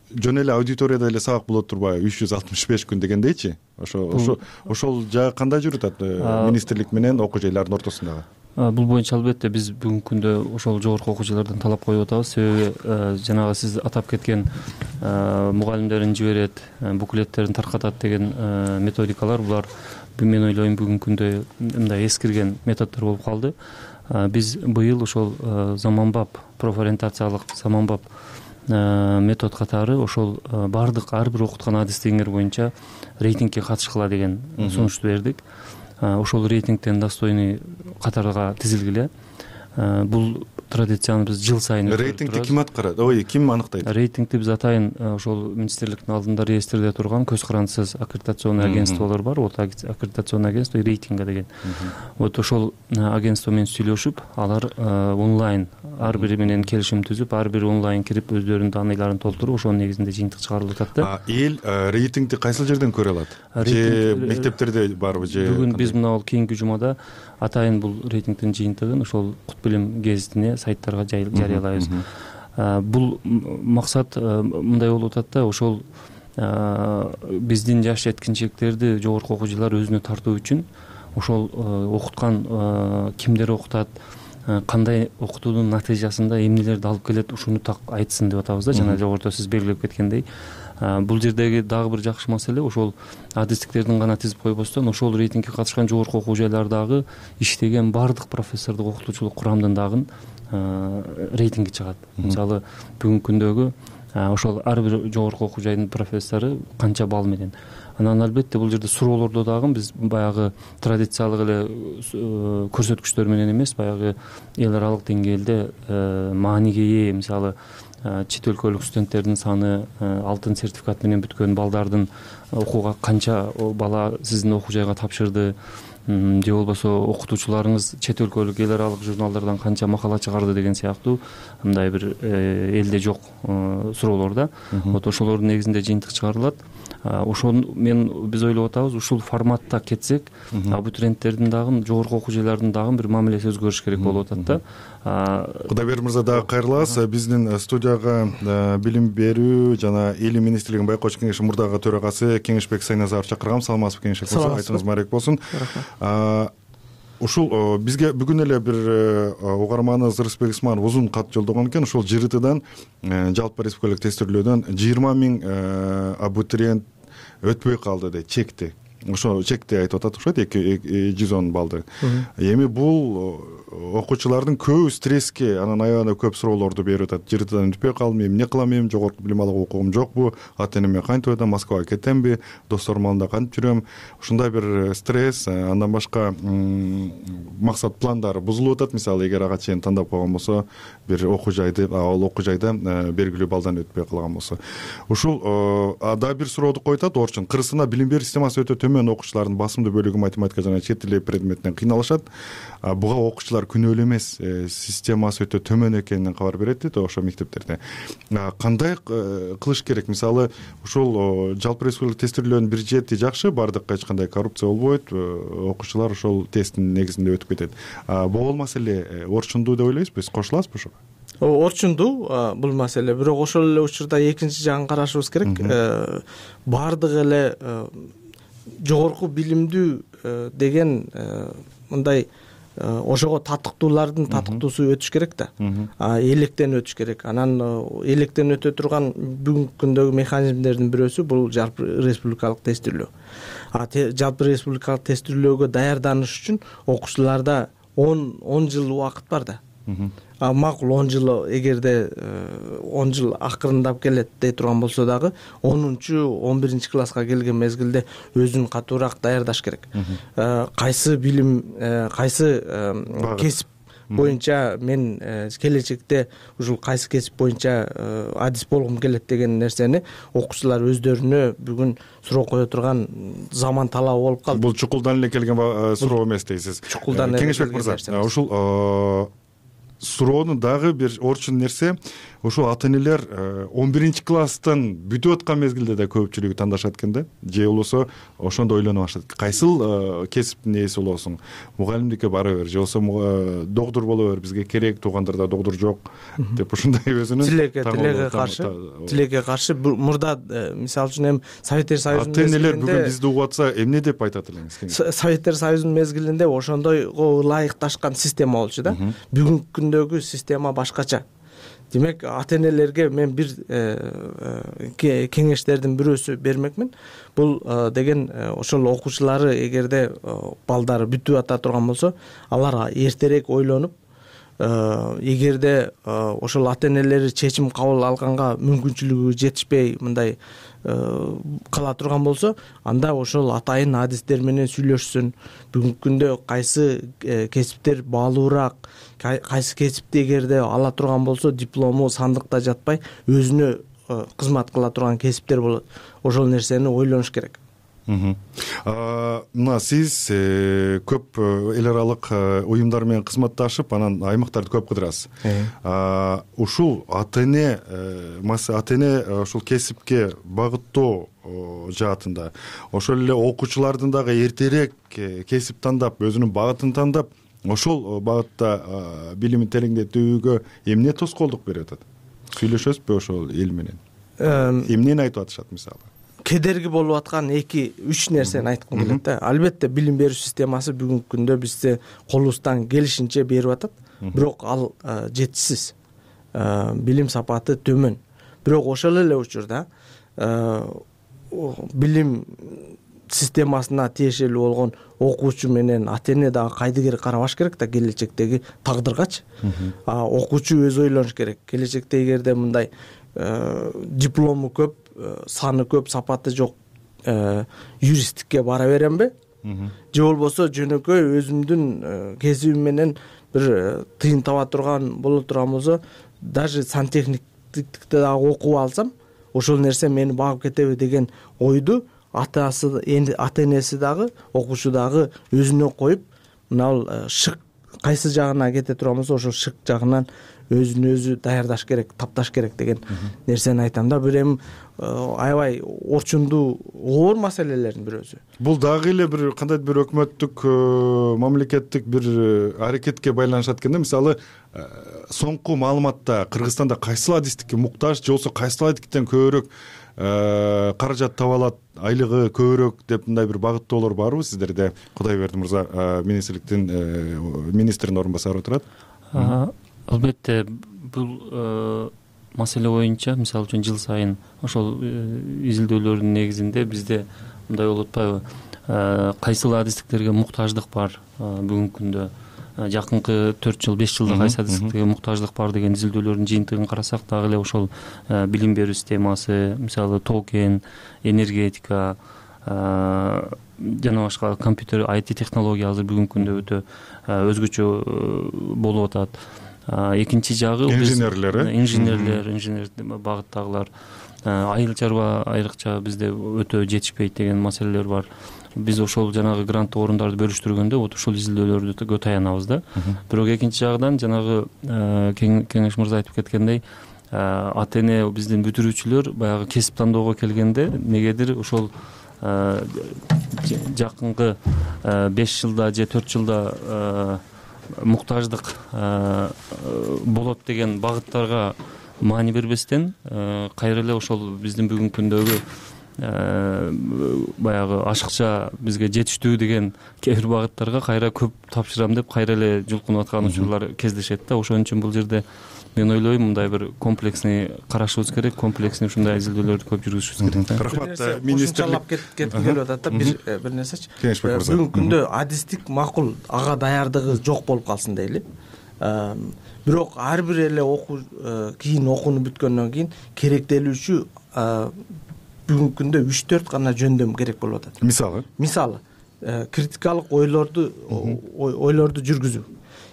жөн эле аудиторияда эле сабак болот турбайбы 365 күн дегендейчи? Ошол жагы кандай жүрүп атат министрлик менен окуу жайлардын ортосундагы? Бул боюнча албетте биз бүгүнкү күндө ошол жогорку окуу жайлардан талап коюп атабыз. Себеби жанагы сиз атап кеткен мугалимдерин жиберет, буклеттерин таркатат деген методикалар, булар мен ойлойм бүгүнкү күндө мындай эскирген методдор болуп калды. Биз быйыл ошол заманбап профориентациялык заманбап метод катары ошол бардык ар бир окуткан адистигиңер боюнча рейтингке катышкыла деген сунушту бердик. Ошол рейтингтен достойный катарга тизилгиле. Бул традицияны биз жыл сайын рейтингти ким аткарат? Ой, ким аныктайт? Рейтингти биз атайын ошол министрликтин алдында реестрде турган көз карандысыз аккредитационный агентстволор бар. Вот аккредитационный агентство рейтинга деген. Вот ошол агентство менен сүйлөшүп, алар онлайн ар бири менен келишим түзүп, ар бири онлайн кирип өздөрүнүн данныйларын толтуруп, ошонун негизинде жыйынтык чыгарылып атат да. Эл рейтингти кайсыл жерден көрө алат? Же мектептерде барбы же? Бүгүн биз мына кийинки жумада атайын бул рейтингдин жыйынтыгын ошол Кут билим гезитине, сайттарга жарыялайбыз. Бул максат мындай болуп атат да, ошол биздин жаш жеткинчектерди жогорку окуу жайлар өзүнө тартуу үчүн ошол окуткан кимдер окутат, кандай окутуунун натыйжасында эмнелерди алып келет, ушуну так айтсын деп атабыз да. Жана жогоруда сиз белгилеп кеткендей, бул жердеги дагы бир жакшы маселе ошол адистиктердин гана тизип койбостон, ошол рейтингке катышкан жогорку окуу жайлардагы иштеген бардык профессордук окутуучулук курамдын дагы рейтинги чыгат. Мисалы, бүгүнкү күндөгү ошол ар бир жогорку окуу жайдын профессору канча балл менен. Анан албетте бул жерде суроолордо дагы биз баягы традициялык эле көрсөткүчтөр менен эмес, баягы эл аралык деңгээлде мааниге ээ, мисалы чет өлкөлүк студенттердин саны, алтын сертификат менен бүткөн балдардын окууга канча бала сиздин окуу жайга тапшырды, же болбосо окутуучуларыңыз чет өлкөлүк эл аралык журналдардан канча макала чыгарды деген сыяктуу мындай бир элде жок суроолор да. Вот ошолордун негизинде жыйынтык чыгарылат. Биз ойлоп атабыз, ушул форматта кетсек, абитуриенттердин дагы жогорку окуу жайлардын дагы бир мамилеси өзгөрүш керек болуп атат да. Кудайберди мырза, дагы кайрылабыз. Биздин студияга билим берүү жана элим министрлигинин байкоочу кеңеши мурдагы төрагасы Кеңешбек Сайназаров чакыргам. Саламатсызбы, Кеңешбек мырза? Айтыңыз маек болсун. Ушул бизге бүгүн эле бир угарманыбыз Рыспек Исманов узун кат жолдогон экен. Ушул ЖРТдан, жалпы республикалык тестирлөөдөн 20 000 абитуриент өтпөй калды дейт, чекти. Ошо чекти айтып атат окшойт, 210 балды. Эми бул окуучулардын көбү стресске, анан аябай көп суроолорду берип атат. ЖРТдан өтпөй калдым, эмне кылам, эми жогорку билим алуу укугум жокпу, ата энеме кантип атам, Москвага кетемби, досторум алдында кантип жүрөм. Ушундай бир стресс, андан башка максат пландары бузулуп атат. Мисалы, эгер ага чейин тандап койгон болсо, бир окуу жайды, ал окуу жайда белгилүү балдан өтпөй калган болсо. Ушул дагы бир сурооду коюп атат. Орчун кырсына билим берүү системасы өтө төмөн окуучулардын басымдуу бөлүгү математика жана чет тили предметинен кыйналышат. Буга окуучулар күнөөлүү эмес, системасы өтө төмөн экенинен кабар берет дейт ошо мектептерде. Кандай кылыш керек? Мисалы, ушул жалпы республикалык тестирлөөнүн бюджети жакшы, бардыкка эч кандай коррупция болбойт, окуучулар ошол тесттин негизинде өтүп кетет. Бул маселе орчундуу деп ойлойсузбу? Биз кошуласызбы ошого? Орчундуу бул маселе, бирок ошол эле учурда экинчи жагын карашыбыз керек. Бардык эле жогорку билимдүү деген мындай ошого татыктуулардын татыктуусу өтүш керек да. Электен өтүш керек. Анан электен өтө турган бүгүнкү күндөгү механизмдердин бирөөсү бул жалпы республикалык тестирлөө. Жалпы республикалык тестирлөөгө даярданыш үчүн окуучуларда 10 жыл убакыт бар да. Макул 10 жыл, эгерде 10 жыл акырындап келет дей турган болсо дагы 10-11 класска келген мезгилде өзүн катуураак даярдаш керек. Кайсы билим, кайсы кесип боюнча мен келечекте ушул кайсы кесип боюнча адис болгум келет деген нерсени окуучулар өздөрүнө бүгүн суроо кое турган заман талабы болуп калды. Бул чукулдан эле келген суроо эмес дейсиз. Чукулдан Кеңешбек мырза, ушул суроонун дагы бир орчун нерсе, ушул ата энелер 11-класстан бүтүп аткан мезгилде да көпчүлүгү тандашат экен да, же болбосо ошондо ойлонуп баштайт. Кайсыл кесиптин ээси болосуң? Мугалимдикке бара бер, же болбосо доктур боло бер, бизге керек, туугандарда доктур жок деп ушундай өзүнүн тилекке каршы мурда мисалы үчүн эми Советтер Союзунун ата энелер бүгүн бизди угуп атса эмне деп айтат элеңиз? Советтер Союзунун мезгилинде ошондойго ылайыкташкан система болчу да. Бүгүнкү күндөгү система башкача. Демек, ата энелерге мен бир кеңештердин бирөөсү бермекмин. Бул деген ошол окуучулары эгерде балдары бүтүп ата турган болсо, алар эртерээк ойлонуп, эгерде ошол ата энелери чечим кабыл алганга мүмкүнчүлүгү жетишпей мындай кала турган болсо, анда ошол атайын адистер менен сүйлөшсүн. Бүгүнкү күндө кайсы кесиптер баалуураак, кайсы кесипти эгерде ала турган болсо, диплому сандыкта жатпай, өзүнө кызмат кыла турган кесиптер болот. Ошол нерсени ойлонуш керек. Мына сиз көп эл аралык уюмдар менен кызматташып, анан аймактарды көп кыдырасыз. Ушул ата эне ушул кесипке багыттоо жаатында, ошол эле окуучулардын дагы эртерээк кесип тандап, өзүнүн багытын тандап, ошол багытта билимин тереңдетүүгө эмне тоскоолдук берип атат? Сүйлөшөсүзбү ошол эл менен? Эмнени айтып атышат мисалы? Кедерги болуп аткан 2-3 нерсени айткым келет да. Албетте билим берүү системасы бүгүнкү күндө бизде колубуздан келишинче берип атат, бирок ал жетишсиз. Билим сапаты төмөн. Бирок ошол эле учурда билим системасына тиешелүү болгон окуучу менен ата эне дагы кайдыгер карабаш керек да келечектеги тагдыргачы. Окуучу өзү ойлонуш керек. Келечекте эгерде мындай диплому көп, саны көп, сапаты жок юристтикке бара беремби? Же болбосо жөнөкөй өзүмдүн кесибим менен бир тыйын таба турган боло турган болсо, даже сантехниктикти дагы окуп алсам, ошол нерсе мени багып кетеби деген ойду ата энеси дагы, окуучу дагы өзүнө коюп, мына шык кайсы жагына кете турган болсо, ошол шык жагынан өзүн өзү даярдаш керек, тапташ керек деген нерсени айтам да. Бир эми аябай орчундуу оор маселелердин бирөөсү. Бул дагы эле бир кандайдыр бир өкмөттүк, мамлекеттик бир аракетке байланышат экен да. Мисалы, соңку маалыматта Кыргызстанда кайсыл адистикке муктаж, же болбосо кайсыл адистиктен көбүрөөк каражат таба алат, айлыгы көбүрөөк деп мындай бир багыттоолор барбы сиздерде? Кудайберди мырза министрдин орун басары турат. Албетте, бул маселе боюнча, мисалы үчүн жыл сайын ошол изилдөөлөрдүн негизинде бизде мындай болуп атпайбы? Кайсыл адистиктерге муктаждык бар бүгүнкү күндө? Жакынкы 4 жыл, 5 жылда кайсы адистиктерге муктаждык бар деген изилдөөлөрдүн жыйынтыгын карасак, дагы эле ошол билим берүү системасы, мисалы токен, энергетика, жана башка компьютер, IT технология азыр бүгүнкү күндө өтө өзгөчө болуп атат. Экинчи жагы инженерлер багыттагылар, айыл чарба айрыкча бизде өтө жетишпейт деген маселелер бар. Биз ошол жанагы гранттык орундарды бөлүштүргөндө вот ушул изилдөөлөрдү көп таянабыз да. Бирок экинчи жагдан жанагы кеңеш мырза айтып кеткендей, ата эне биздин бүтүрүүчүлөр баягы кесип тандоого келгенде негедир ошол жакынкы 5 жылда же 4 жылда муктаждык болот деген багыттарга маани бербестен, кайра эле ошол биздин бүгүнкү күндөгү баягы ашыкча бизге жетиштүү деген кээ бир багыттарга кайра көп тапшырам деп кайра эле жулкунуп аткан учурлар кездешет да. Ошон үчүн бул жерде мен ойлойм, мындай бир комплексный карашыбыз керек, комплексный ушундай изилдөөлөрдү көп жүргүзүшүбүз керек. Рахмат, министрлик кетким келип атат да, бир нерсечи. Бүгүнкү күндө адистик макул, ага даярдыгы жок болуп калсын дейли. Бирок ар бир эле кийин окууну бүткөндөн кийин керектелүүчү бүгүнкү күндө 3-4 гана жөндөм керек болуп атат. Мисалы критикалык ойлорду жүргүзүү.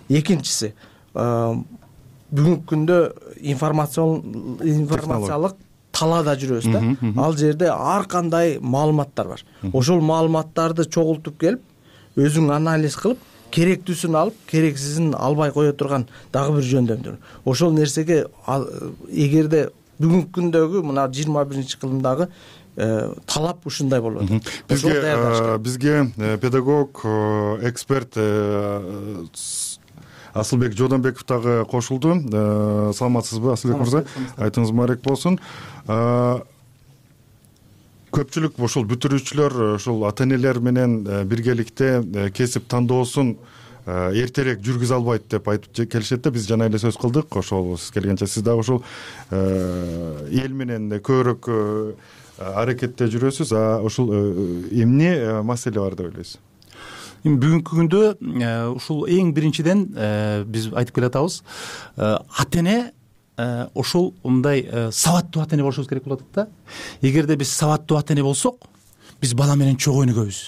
экинчиси бүгүнкү күндө информациялык талаада жүрөбүз да. Ал жерде ар кандай маалыматтар бар. Ошол маалыматтарды чогултуп келип, өзүң анализ кылып, керектүүсүн алып, керексизин албай кое турган дагы бир жөндөмдөр. Ошол нерсеге эгерде бүгүнкү күндөгү мына 21-кылымдагы талап ушундай болуп атат. Бизге педагог, эксперт Асылбек Жодонбеков дагы кошулду. Саламатсызбы, Асылбек мырза? Айтыңыз маарек болсун. Көпчүлүк ошол бүтүрүүчүлөр, ошол ата-энелер менен биргеликте кесип тандоосун эртерээк жүргүзө албайт деп айтып келишет да. Биз жана эле сөз кылдык. Ошол сиз келгенче сиз дагы ошол эл менен көбүрөөк аракетте жүрөсүз. Ошол эмне маселе бар деп ойлойсуз? Бүгүнкү күндө ушул эң биринчиден биз айтып келатабыз, ата-эне ошол мындай сабаттуу ата-эне болушубуз керек болуп атат да. Эгерде биз сабаттуу ата-эне болсок, биз бала менен чогуу өнүгөбүз.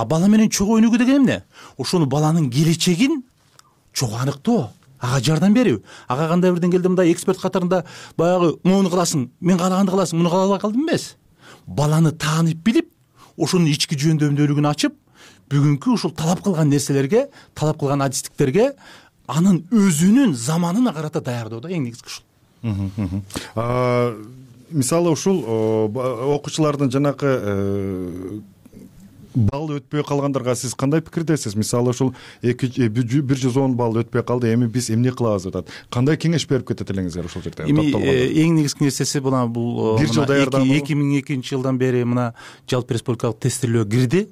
Бала менен чогуу өнүгүү деген эмне? Ошону баланын келечегин чогуу аныктоо, ага жардам берүү. Ага кандай бир деңгээлде мындай эксперт катарында баягы муну кыласың, мен каалаганды кыласың, муну кыла албай калдым эмес. Баланы таанып билип, ошонун ички жөндөмдүүлүгүн ачып, бүгүнкү ушул талап кылган нерселерге, талап кылган адистиктерге анын өзүнүн заманына карата даярдоо да эң негизги ушул. Мисалы ушул окуучулардын жанакы балл өтпөй калгандарга сиз кандай пикирдесиз? Мисалы ушул 110 балл өтпөй калды, эми биз эмне кылабыз деп атат. Кандай кеңеш берип кетет элеңиздер ошол жерде? Эң негизги нерсеси бул 2002 жылдан бери мына жалпы республикалык тестирлөө кирди.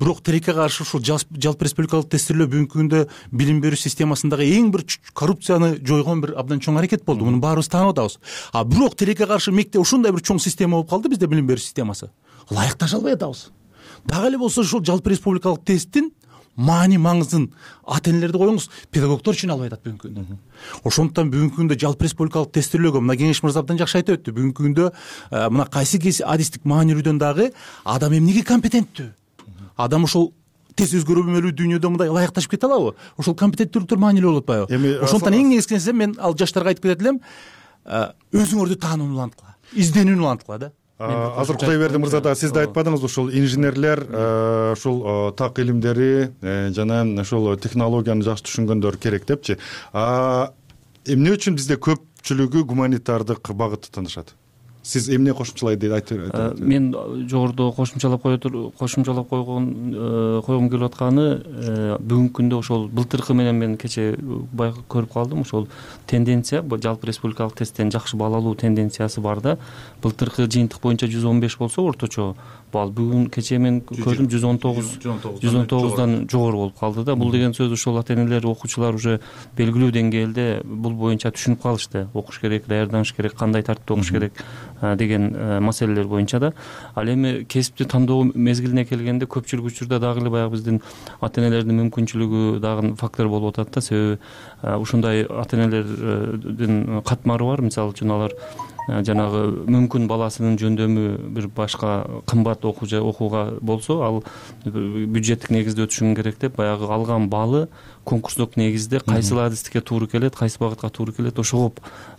Бирок тилекке каршы ушул жалпы республикалык тестирлөө бүгүнкү күндө билим берүү системасындагы эң бир коррупцияны жойгон бир абдан чоң аракет болду. Муну баарыбыз таанып атабыз. Бирок тилекке каршы мектеп ушундай бир чоң система болуп калды бизде, билим берүү системасы. Ылайыкташа албай атабыз. Дагы эле болсо ушул жалпы республикалык тесттин маани маңызын ата-энелерди коюңуз, педагогдор түшүнө албай атат бүгүнкү күндө. Ошондуктан бүгүнкү күндө жалпы республикалык тестирлөөгө мына кеңеш мырза абдан жакшы айтып өттү. Бүгүнкү күндө мына кайсы адистик маанилүүдөн дагы адам эмнеге компетенттүү? Адам ушул тез өзгөрүмөлүү дүйнөдө мындай ылайыкташып кете алабы? Ошол компетенттүүлүктөр маанилүү болуп атпайбы? Ошондуктан эң негизги нерсе мен ал жаштарга айтып кетет элем, өзүңөрдү таанууну уланткыла, изденүүнү уланткыла да. Азыр Кудайберди мырза да сиз да айтпадыңыз, ушул инженерлер, ушул так илимдери жана ушул технологияны жакшы түшүнгөндөр керек депчи. Эмне үчүн бизде көпчүлүгү гуманитардык багытты тандашат? Сиз эмне кошумчалайды айтып? Мен жогоруда кошумчалап койгум келип атканы, бүгүнкү күндө ошол былтыркы менен мен кече көрүп калдым, ошол тенденция, жалпы республикалык тесттен жакшы балл алуу тенденциясы бар да. Былтыркы жыйынтык боюнча 115 болсо орточо балл, бүгүн кече мен көрдүм 119дан жогору болуп калды да. Бул деген сөз ушул ата-энелер, окуучулар уже белгилүү деңгээлде бул боюнча түшүнүп калышты. Окуш керек, даярданыш керек, кандай тартипте окуш керек деген маселелер боюнча да. Ал эми кесипти тандоо мезгилине келгенде көпчүлүк учурда дагы эле баягы биздин ата-энелердин мүмкүнчүлүгү дагы фактор болуп атат да. Себеби ушундай ата-энелердин катмары бар. Мисалы үчүн алар жанагы мүмкүн баласынын жөндөмү бир башка кымбат окууга болсо, ал бюджеттик негизде өтүшүн керек деп баягы алган баллы конкурстук негизде кайсыл адистикке туура келет, кайсы багытка туура келет, ошого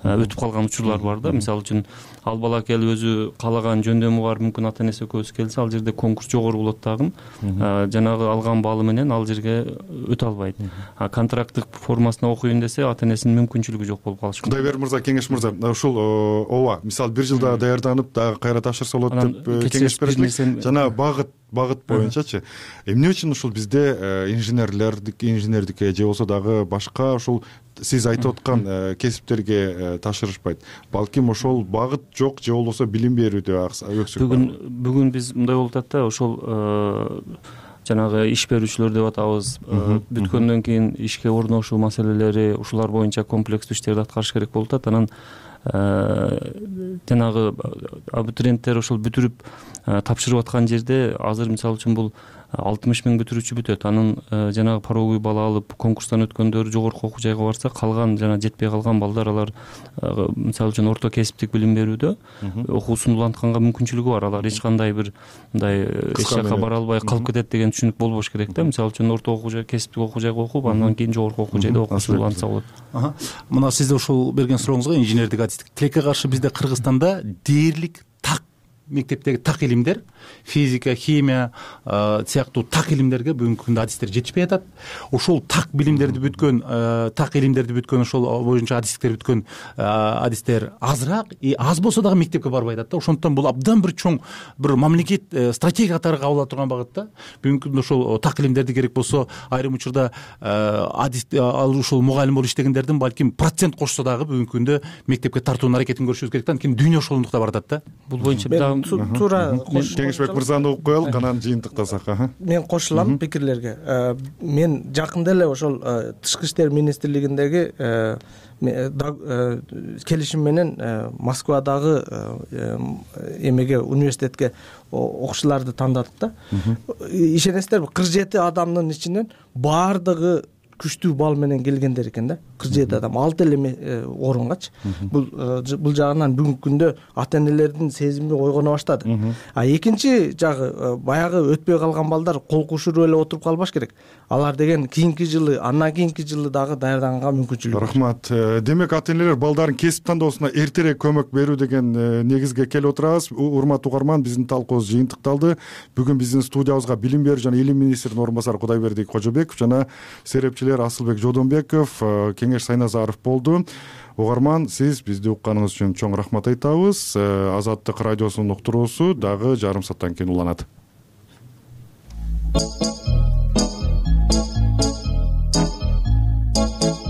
өтүп калган учурлар бар да. Мисалы үчүн ал бала келип өзү каалаган жөндөмү бар, мүмкүн ата-энеси экөөбүз келсе, ал жерде конкурс жогору болот дагы, жанагы алган баллы менен ал жерге өтө албайт. Контракттык формасына окуйм десе, ата-энесинин мүмкүнчүлүгү жок болуп калышы мүмкүн. Кудайберди мырза, кеңеш мырза, ушул ооба, мисалы бир жылда даярданып дагы кайра тапшырса болот деп кеңеш берет. Жана багыт боюнчачы эмне үчүн ушул бизде инженердикке же болбосо дагы башка ушул сиз айтып аткан кесиптерге тапшырышпайт? Балким ошол багыт жок же болбосо билим берүүдө өксүк бар. Бүгүн биз мындай болуп атат да, ошол жанагы иш берүүчүлөр деп атабыз, бүткөндөн кийин ишке орношуу маселелери, ушулар боюнча комплекстүү иштерди аткарыш керек болуп атат. Анан жанагы абитуриенттер ошол бүтүрүп тапшырып аткан жерде азыр мисалы үчүн бул 60 000 бүтүрүүчү бүтөт. Анын жанагы пороговый балл алып конкурстан өткөндөр жогорку окуу жайга барса, калган жана жетпей калган балдар алар мисалы үчүн орто кесиптик билим берүүдө окуусун улантканга мүмкүнчүлүгү бар. Алар эч кандай бир мындай эч жакка бара албай калып кетет деген түшүнүк болбош керек да. Мисалы үчүн орто окуу жай, кесиптик окуу жайга окуп, андан кийин жогорку окуу жайда окуусун улантса болот. Мына сизде ушул берген сурооңузга инженердик адистик тилекке каршы бизде Кыргызстанда дээрлик так мектептеги так илимдер, физика, химия сыяктуу так илимдерге бүгүнкү күндө адистер жетишпей атат. Ошол так билимдерди бүткөн, так илимдерди бүткөн, ошол боюнча адистиктер бүткөн адистер азыраак, аз болсо дагы мектепке барбай атат да. Ошондуктан бул абдан бир чоң бир мамлекет стратегия катары кабыл ала турган багыт да. Бүгүнкү күндө ошол так илимдерди керек болсо айрым учурда адист ал ушул мугалим болуп иштегендердин балким процент кошсо дагы бүгүнкү күндө мектепке тартуунун аракетин көрүшүбүз керек да. Анткени дүйнө ошолундукта баратат да. Бул боюнча туура Кеңешбек мырзаны угуп коелук, анан жыйынтыктасак. Мен кошулам пикирлерге. Мен жакында эле ошол Тышкы иштер министрлигиндеги келишим менен Москвадагы эмеге университетке окуучуларды тандадык да. Ишенесиздерби, 47 адамдын ичинен баардыгы күчтүү балл менен келгендер экен да. 47 адам 6 эле орунгачы. Бул жагынан бүгүнкү күндө ата энелердин сезими ойгоно баштады. А экинчи жагы баягы өтпөй калган балдар кол кушуруп эле отуруп калбаш керек. Алар деген кийинки жылы, андан кийинки жылы дагы даярданганга мүмкүнчүлүк. Рахмат. Демек ата энелер балдарын кесип тандоосуна эртерээк көмөк берүү деген негизге келип отурабыз. Урматтуу угарман, биздин талкуубуз жыйынтыкталды. Бүгүн биздин студиябызга билим берүү жана илим министринин орун басары Кудайбердик Кожобеков жана серепчилер Асылбек Жодонбеков, Кеңеш Сайназаров болду. Угарман, сиз бизди укканыңыз үчүн чоң рахмат айтабыз. Азаттык радиосунун уктуруусу дагы жарым сааттан кийин уланат.